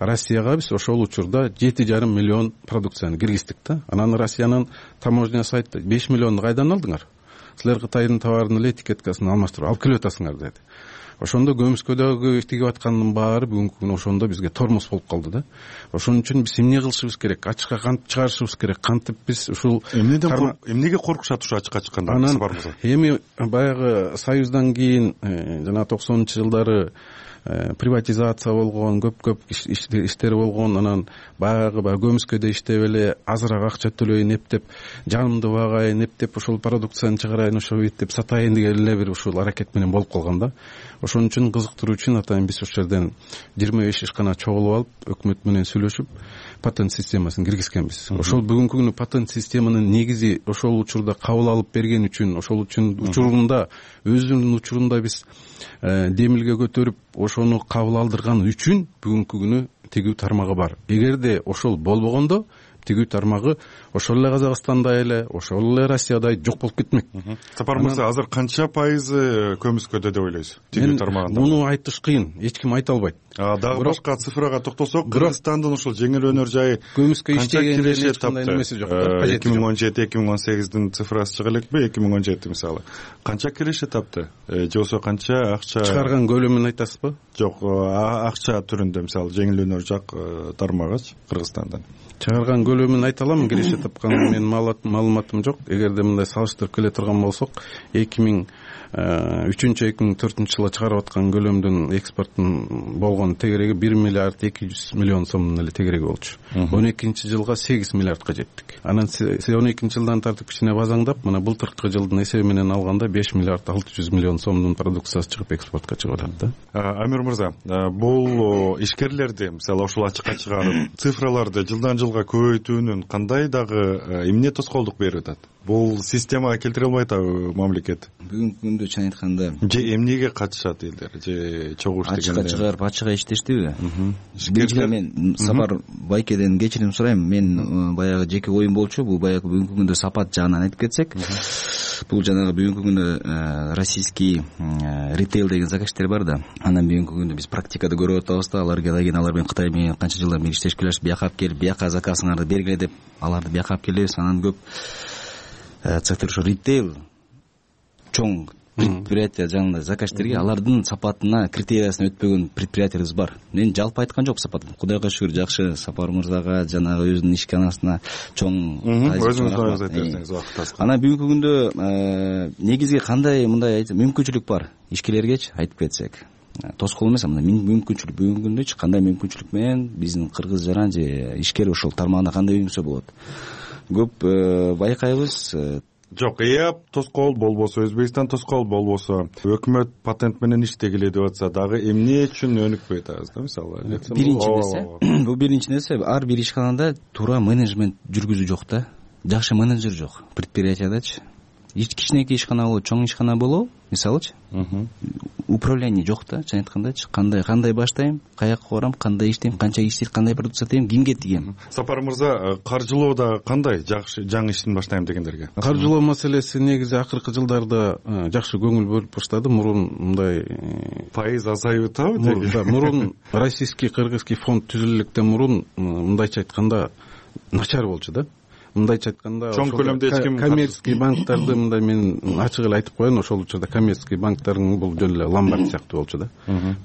S: Россияга биз ошол учурда жети жарым миллион продукцияны киргиздик да. Анан Россиянын таможнясы айтты, беш миллионду кайдан алдыңар? Силер Кытайдын товарынын эле этикеткасын алмаштырып алып келип атасыңар деди. Ошондо көмүскөдөгү тигип аткандын баары бүгүнкү күнү ошондо бизге тормоз болуп калды да. Ошон үчүн биз эмне кылышыбыз керек? Ачыкка кантип чыгарышыбыз керек? Кантип биз ушул
V: эмнеден эмнеге коркушат ушу ачыкка чыкканда?
S: Анан эми баягы Союздан кийин жана токсонунчу жылдары приватизация болгон, көп-көп иштер болгон. Анан баягы баягы көмүскөдө иштеп эле азыраак акча төлөйүн эптеп, жанымды багайын эптеп, ошол продукцияны чыгарайын, ошо эптеп сатайын деген эле бир ушул аракет менен болуп калган да. Ошон үчүн кызыктыруу үчүн атайын биз ошол жерден жыйырма беш ишкана чогулуп алып, өкмөт менен сүйлөшүп, патент системасын киргизгенбиз. Ошол бүгүнкү күнү патент системанын негизи ошол учурда кабыл алып берген үчүн, ошол үчүн учурунда өзүнүн учурунда биз демилге көтөрүп, ошону кабыл алдырган үчүн бүгүнкү күнү тигүү тармагы бар. Эгерде ошол болбогондо тигүү тармагы ошол эле Казакстандай эле, ошол эле Россиядай жок болуп кетмек.
V: Сапар мырза, азыр канча пайызы көмүскөдө деп ойлойсуз тигүү тармагында?
S: Муну айтыш кыйын, эч ким айта албайт.
V: Дагы башка цифрага токтолсок, Кыргызстандын ушул жеңил өнөр жайы
S: көмүскө
V: иштегенде
S: эч кандай немеси жок.
V: эки миң он жети эки миң он сегиздин цифрасы чыга элекпи? эки миң он жети мисалы канча киреше тапты же болбосо канча акча
S: чыгарган көлөмүн айтасызбы?
V: Жок, акча түрүндө мисалы жеңил өнөр жак тармагычы Кыргызстандан
S: чыгарган көлөмүн айта алам. Киреше тапкан менин маалыматым жок. Эгерде мындай салыштырып келе турган болсок, эки миң үчүнчү эки миң төртүнчү жылы чыгарып аткан көлөмдүн экспорттун болгон тегереги бир миллиард эки жүз миллион сомдун эле тегереги болчу. он экинчи жылга сегиз миллиардка жеттик. Анан он экинчи жылдан тартып кичине базаңдап, мына былтыркы жылдын эсеби менен алганда беш миллиард алты жүз миллион сомдун продукциясы чыгып экспортко чыгып атат да.
V: Амир мырза, бул ишкерлерди мисалы ошол ачыкка чыгарып цифраларды жылдан жылга көбөйтүүнүн кандай дагы эмне тоскоолдук берип атат? Бул системага келтире албайт атабы мамлекет?
F: Бүгүнкү күндө чын айтканда
V: же эмнеге катышат элдер, же чогуу иштегендер?
F: Ачыкка чыгарып ачык иштештиби? Биринчиден мен Сапар Байкеден кечирим сурайм. Мен баягы жеке оюм болчу. Бул баягы бүгүнкү күндө сапат жагынан айтып кетсек, бул жанагы бүгүнкү күндө российский ритейл деген заказчиктер бар да. Анан бүгүнкү күндө биз практикада көрүп атабыз да, алар кийин алар менен Кытай менен канча жылдан бери иштешип келишип, бияка алып келип, бияка заказыңарды бергиле деп, аларды бияка алып келебиз. Анан көп цехтер ошо ритейл чоң предприятие жанагындай заказчиктерге алардын сапатына, критериясына өтпөгөн предприятиябыз бар. Мен жалпы айткан жок сапатын. Кудайга шүгүр, жакшы. Сапар мырзага, жанагы өзүнүн ишканасына чоң
V: өзүңүз айтып берсеңиз убакыт аз.
F: Анан бүгүнкү күндө негизги кандай мындай мүмкүнчүлүк бар ишкерлергечи айтып кетсек, тоскоол эмес, мындай мүмкүнчүлүк бүгүнкү күндө эч кандай мүмкүнчүлүк менен биздин кыргыз жаран же ишкер ошол тармагына кандай үйрөнсө болот. Көп байкайбыз.
V: Жок, эап тоскоол болбосо, Өзбекстан тоскоол болбосо, өкмөт патент менен иштегиле деп атса дагы эмне үчүн өнүкпөй атабыз да мисалы?
F: Биринчи нерсе, бул биринчи нерсе, ар бир ишканада туура менеджмент жүргүзүү жок да. Жакшы менеджер жок предприятиядачы. Кичинекей ишкана болобу, чоң ишкана болобу, мисалычы. Управление жок да, чын айткандачы. Кандай кандай баштайм, каяка барам, кандай иштейм, канча иштейм, кандай продукция сатайм, кимге тигем.
V: Сапар мырза, каржылоодо кандай жакшы жаңы иштин баштайм дегендерге?
S: Каржылоо маселеси негизи акыркы жылдарда жакшы көңүл бөлүп баштады. Мурун мындай
V: пайыз азайып атабы?
S: Мурун российский кыргызский фонд түзүлгөндөн мурун мындайча айтканда начар болчу да. Мындайча айтканда
V: чоң көлөмдө эч ким
S: коммерческий банктарды мындай мен ачык эле айтып коеюн, ошол учурда коммерческий банктардын бул жөн эле ломбард сыяктуу болчу да.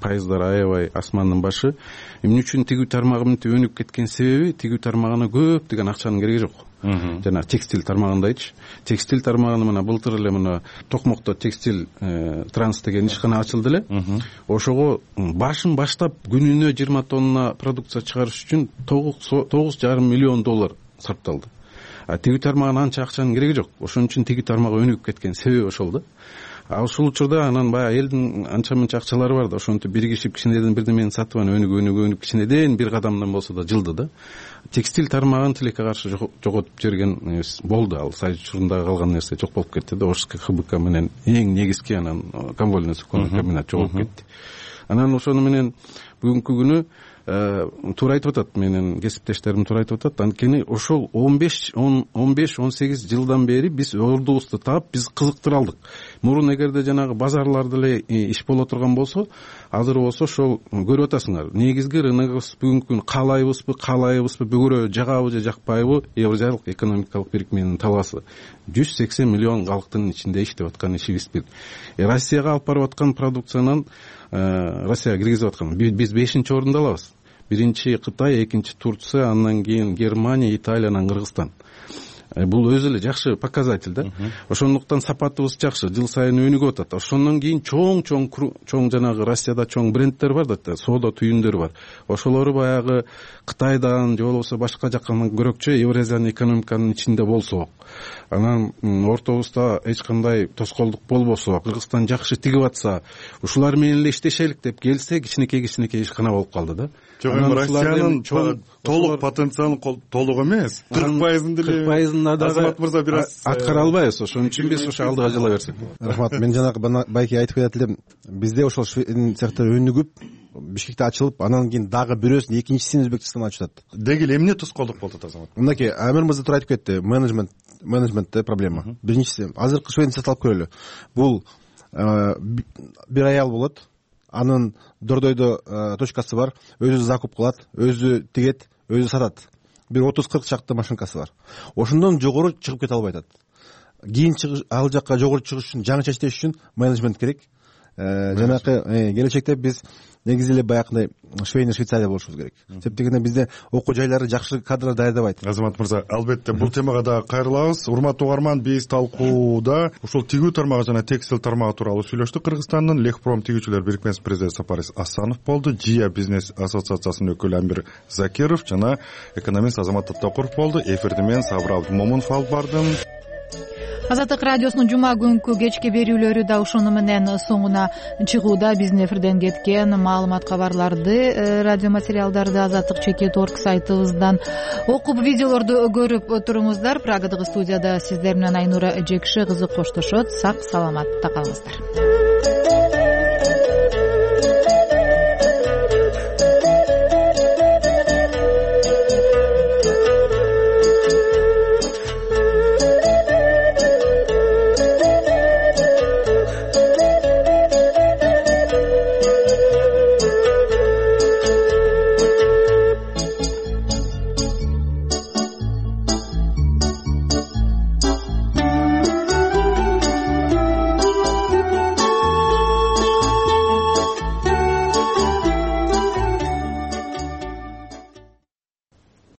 S: Пайыздар аябай асмандын башы. Эмне үчүн тигүү тармагы мынтип өнүгүп кеткен себеби, тигүү тармагына көптөгөн акчанын кереги жок. Жана текстиль тармагындайчы. Текстиль тармагына мына былтыр эле мына Токмокто текстиль транс деген ишкана ачылды эле. Ошого башын баштап күнүнө жыйырма тонна продукция чыгарыш үчүн тогуз жарым миллион доллар сарпталды. Тигүү тармагына анча акчанын кереги жок. Ошон үчүн тигүү тармагы өнүгүп кеткен себеби ошол да. А ошол учурда анан баягы элдин анча мынча акчалары бар да, ошентип биригишип кичинеден бирдемени сатып анан өнүгүп өнүгүп өнүгүп кичинеден бир кадамдан болсо да жылды да. Текстиль тармагын тилекке каршы жоготуп жиберген болду. Ал Союз учурунда калган нерсе жок болуп кетти да. Ошск ХБК менен эң негизги анан конвольный суконный комбинат жоготуп кетти. Анан ошону менен бүгүнкү күнү туура айтып атат, менин кесиптештерим туура айтып атат. Анткени ошол он беш он сегиз жылдан бери биз ордубузду таап, биз кызыктыра алдык. Мурун эгерде жанагы базарларда эле иш боло турган болсо, азыр болсо ошол көрүп атасыңар. Негизги рыногубуз бүгүнкү күнү каалайбызбы, каалайбызбы, бүгүрө жагабы же жакпайбы, Евразиялык экономикалык бирикменин талаасы. жүз сексен миллион калктын ичинде иштеп аткан ишибиз бир. Россияга алып барып аткан продукциянан Россияга киргизип аткан биз бешинчи орунда алабыз. Биринчи Кытай, экинчи Турция, андан кийин Германия, Италия, анан Кыргызстан. Бул өзү эле жакшы показатель да. Ошондуктан сапатыбыз жакшы, жыл сайын өнүгүп атат. Ошондон кийин чоң-чоң чоң жанагы Россияда чоң брендтер бар да, соода түйүндөр бар. Ошолору баягы Кытайдан же болбосо башка жактан көрөкчө Евразиянын экономиканын ичинде болсо, анан ортобузда эч кандай тоскоолдук болбосо, Кыргызстан жакшы тигип атса, ушулар менен эле иштешелик деп келсе, кичинекей-кичинекей ишкана болуп калды да.
V: Жок, эми Россиянын толук потенциалын толук эмес, кырк пайызын деле
S: кырк пайызын аны дагы азамат мырза бир аз
B: аткара албайбыз, ошон үчүн биз ошо алдыга жыла берсек. Рахмат. Мен жанагы байке айтып кетет элем, бизде ошол цехтер өнүгүп Бишкекте ачылып, анан кийин дагы бирөөсүн, экинчисин Өзбекстанда ачып атат.
V: Деги эле эмне тоскоолдук болуп атат азамат?
B: Мынакей Амир мырза туура айтып кетти, менеджмент менеджментте проблема. Биринчиси, азыркы швейцарцты алып көрөлү. Бул бир аял болот, анын Дордойдо точкасы бар, өзү закуп кылат, өзү тигет, өзү сатат. Бир отуз кырк чакты машинкасы бар. Ошондон жогору чыгып кете албай атат. Кийин ал жакка жогору чыгыш үчүн, жаңыча иштеш үчүн менеджмент керек. Жанакы келечекте биз негизи эле баягындай швейный Швейцария болушубуз керек. Себеп дегенде бизде окуу жайлары жакшы кадрлар даярдабайт.
V: Азамат мырза, албетте бул темага дагы кайрылабыз. Урматтуу угарман, биз талкууда ушул тигүү тармагы жана текстиль тармагы тууралуу сүйлөштүк. Кыргызстандын Лехпром тигүүчүлөр бирикмесинин президенти Сапарис Асанов болду. Жия бизнес ассоциациясынын өкүлү Амир Закиров жана экономист Азамат Таттакуров болду. Эфирди мен Сабыр Абдымомунов алып бардым.
A: Азаттык радиосунун жума күнкү кечки берүүлөрү да ошону менен соңуна чыгууда. Биздин эфирден кеткен маалымат, кабарларды, радио материалдарды азаттык чекит орг сайтыбыздан окуп, видеолорду көрүп туруңуздар. Прагадагы студияда сиздер менен Айнура Жекши кызы коштошот. Сак саламатта калыңыздар.